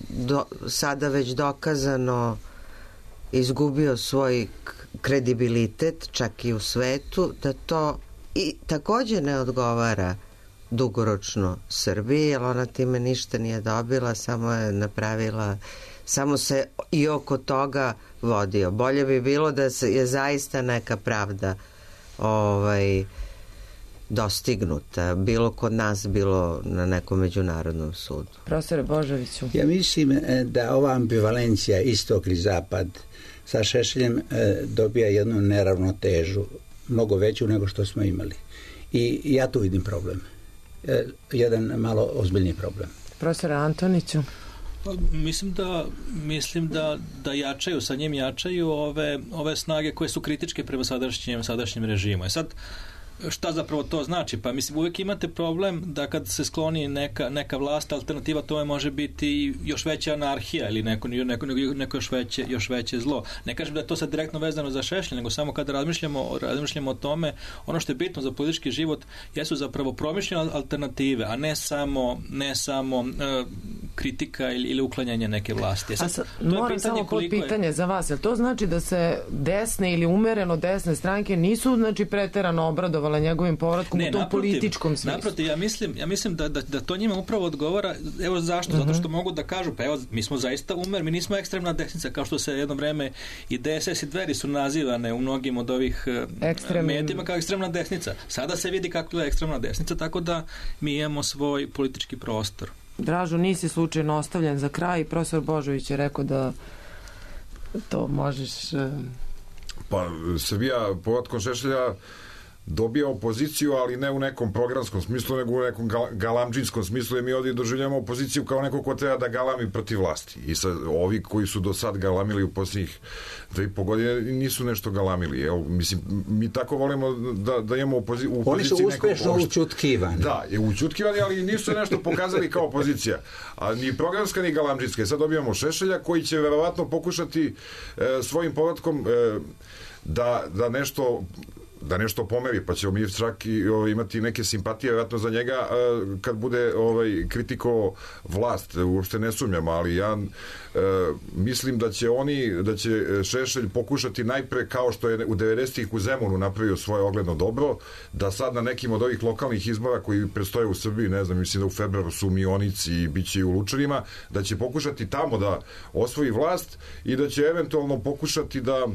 do, sada već dokazano izgubio svoj kredibilitet čak i u svetu, da to i također ne odgovara dugoročno Srbiji, jer ona time ništa nije dobila, samo je napravila, samo se i oko toga vodio. Bolje bi bilo da se je zaista neka pravda ovaj dostignuta, bilo kod nas, bilo na nekom međunarodnom sudu. Profesore Božoviću. Ja mislim da ova ambivalencija istok i zapad sa Šešeljem dobija jednu neravnotežu, mnogo veću nego što smo imali. I ja tu vidim problem. Jedan malo ozbiljni problem. Profesore Antoniću. Mislim da mislim da, da jačaju, sa njim jačaju ove, ove snage koje su kritičke prema sadašnjem, sadašnjem režimu. I sad, šta zapravo to znači? Pa mislim, uvijek imate problem da kad se skloni neka, neka vlast, alternativa tome može biti još veća anarhija ili neko, neko, neko još, veće, još veće zlo. Ne kažem da je to sad direktno vezano za Šešelj, nego samo kada razmišljamo, razmišljamo o tome, ono što je bitno za politički život jesu zapravo promišljene alternative, a ne samo, ne samo uh, kritika ili, ili uklanjanje neke vlasti. Sad, a sad, moram samo pod pitanje je... za vas, jel to znači da se desne ili umereno desne stranke nisu znači preterano obradovali njegovim povratkom ne, u tom naprotiv, političkom smislu? Naprotiv, ja mislim, ja mislim da, da, da to njima upravo odgovara. Evo zašto? Uh-huh. Zato što mogu da kažu, pa evo, mi smo zaista umer, mi nismo ekstremna desnica, kao što se jedno vreme i D S S i Dveri su nazivane u mnogim od ovih Ekstremnim... medijima kao ekstremna desnica. Sada se vidi kako je ekstremna desnica, tako da mi imamo svoj politički prostor. Dražo, nisi slučajno ostavljen za kraj. Profesor Božović je rekao da to možeš... Pa, Srbija povratkom Šešelja dobija opoziciju, ali ne u nekom programskom smislu, nego u nekom galamdžinskom smislu, i mi ovdje doživljamo opoziciju kao neko ko treba da galami protiv vlasti. I sad, ovi koji su do sad galamili u posljednjih dve i po godine nisu nešto galamili. Evo, mislim, mi tako volimo da, da imamo opozi- u opoziciji. Oni su uspešno učutkivani. Da, je učutkivani, ali nisu nešto pokazali kao opozicija. A ni programska, ni galamdžinska. Sad dobijamo Šešelja koji će verovatno pokušati e, svojim povratkom e, da, da nešto da nešto pomeri, pa ćemo mi čak i ovaj, imati neke simpatije vjerojatno za njega a, kad bude ovaj, kritiko vlast, uopšte ne sumnjam, ali ja a, mislim da će oni, da će Šešelj pokušati najpre, kao što je u devedesetih u Zemunu napravio svoje ogledno dobro, da sad na nekim od ovih lokalnih izbora koji predstoje u Srbiji, ne znam, mislim da u februaru su u Mionici i bit će i u Lučanima, da će pokušati tamo da osvoji vlast i da će eventualno pokušati da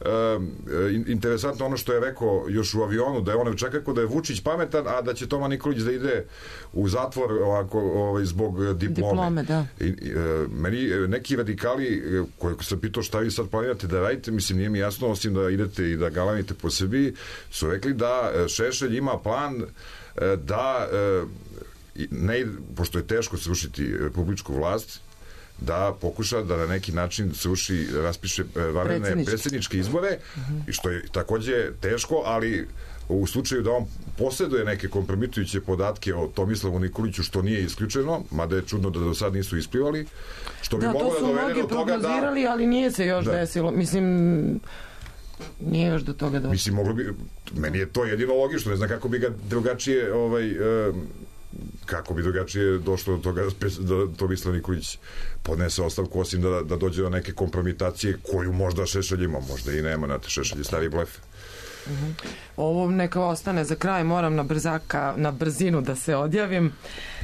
Uh, interesantno ono što je rekao još u avionu, da je on čak rekao da je Vučić pametan, a da će Toma Nikolić da ide u zatvor ovako, ovaj, zbog diplome, diplome da. I, uh, meni neki radikali koji se pitao šta vi sad planirate da radite, mislim nije mi jasno, osim da idete i da galamite po Srbiji, su rekli da Šešelj ima plan da ne, pošto je teško srušiti republičku vlast, da pokuša da na neki način sruši, raspiše vanredne predsjedničke izbore, uh-huh. i što je takođe teško, ali u slučaju da on posjeduje neke kompromitujuće podatke o Tomislavu Nikoliću, što nije isključeno, mada je čudno da do sad nisu isplivali, što bi da, moglo da dovede do toga da... Da, to su mnogi prognozirali, ali nije se još da. desilo. Mislim, nije još do toga došlo. Mislim, moglo bi... Meni je to jedino logično, ne znam kako bi ga drugačije... Ovaj, eh, kako bi drugačije došlo do toga da Tomislav Nikolić podnese ostavku, osim da, da dođe do neke kompromitacije koju možda Šešelj ima, možda i nema, znate, Šešelj je stari blef. Uh-huh. Ovo neka ostane za kraj, moram na brzaka, na brzinu da se odjavim.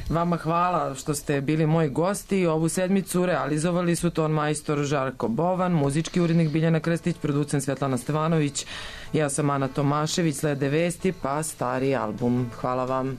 Vama hvala što ste bili moji gosti. Ovu sedmicu realizovali su ton majstor Žarko Bovan, muzički urednik Biljana Krstić, producent Svetlana Stevanović, ja sam Ana Tomašević, slede vesti, pa stari album. Hvala vam.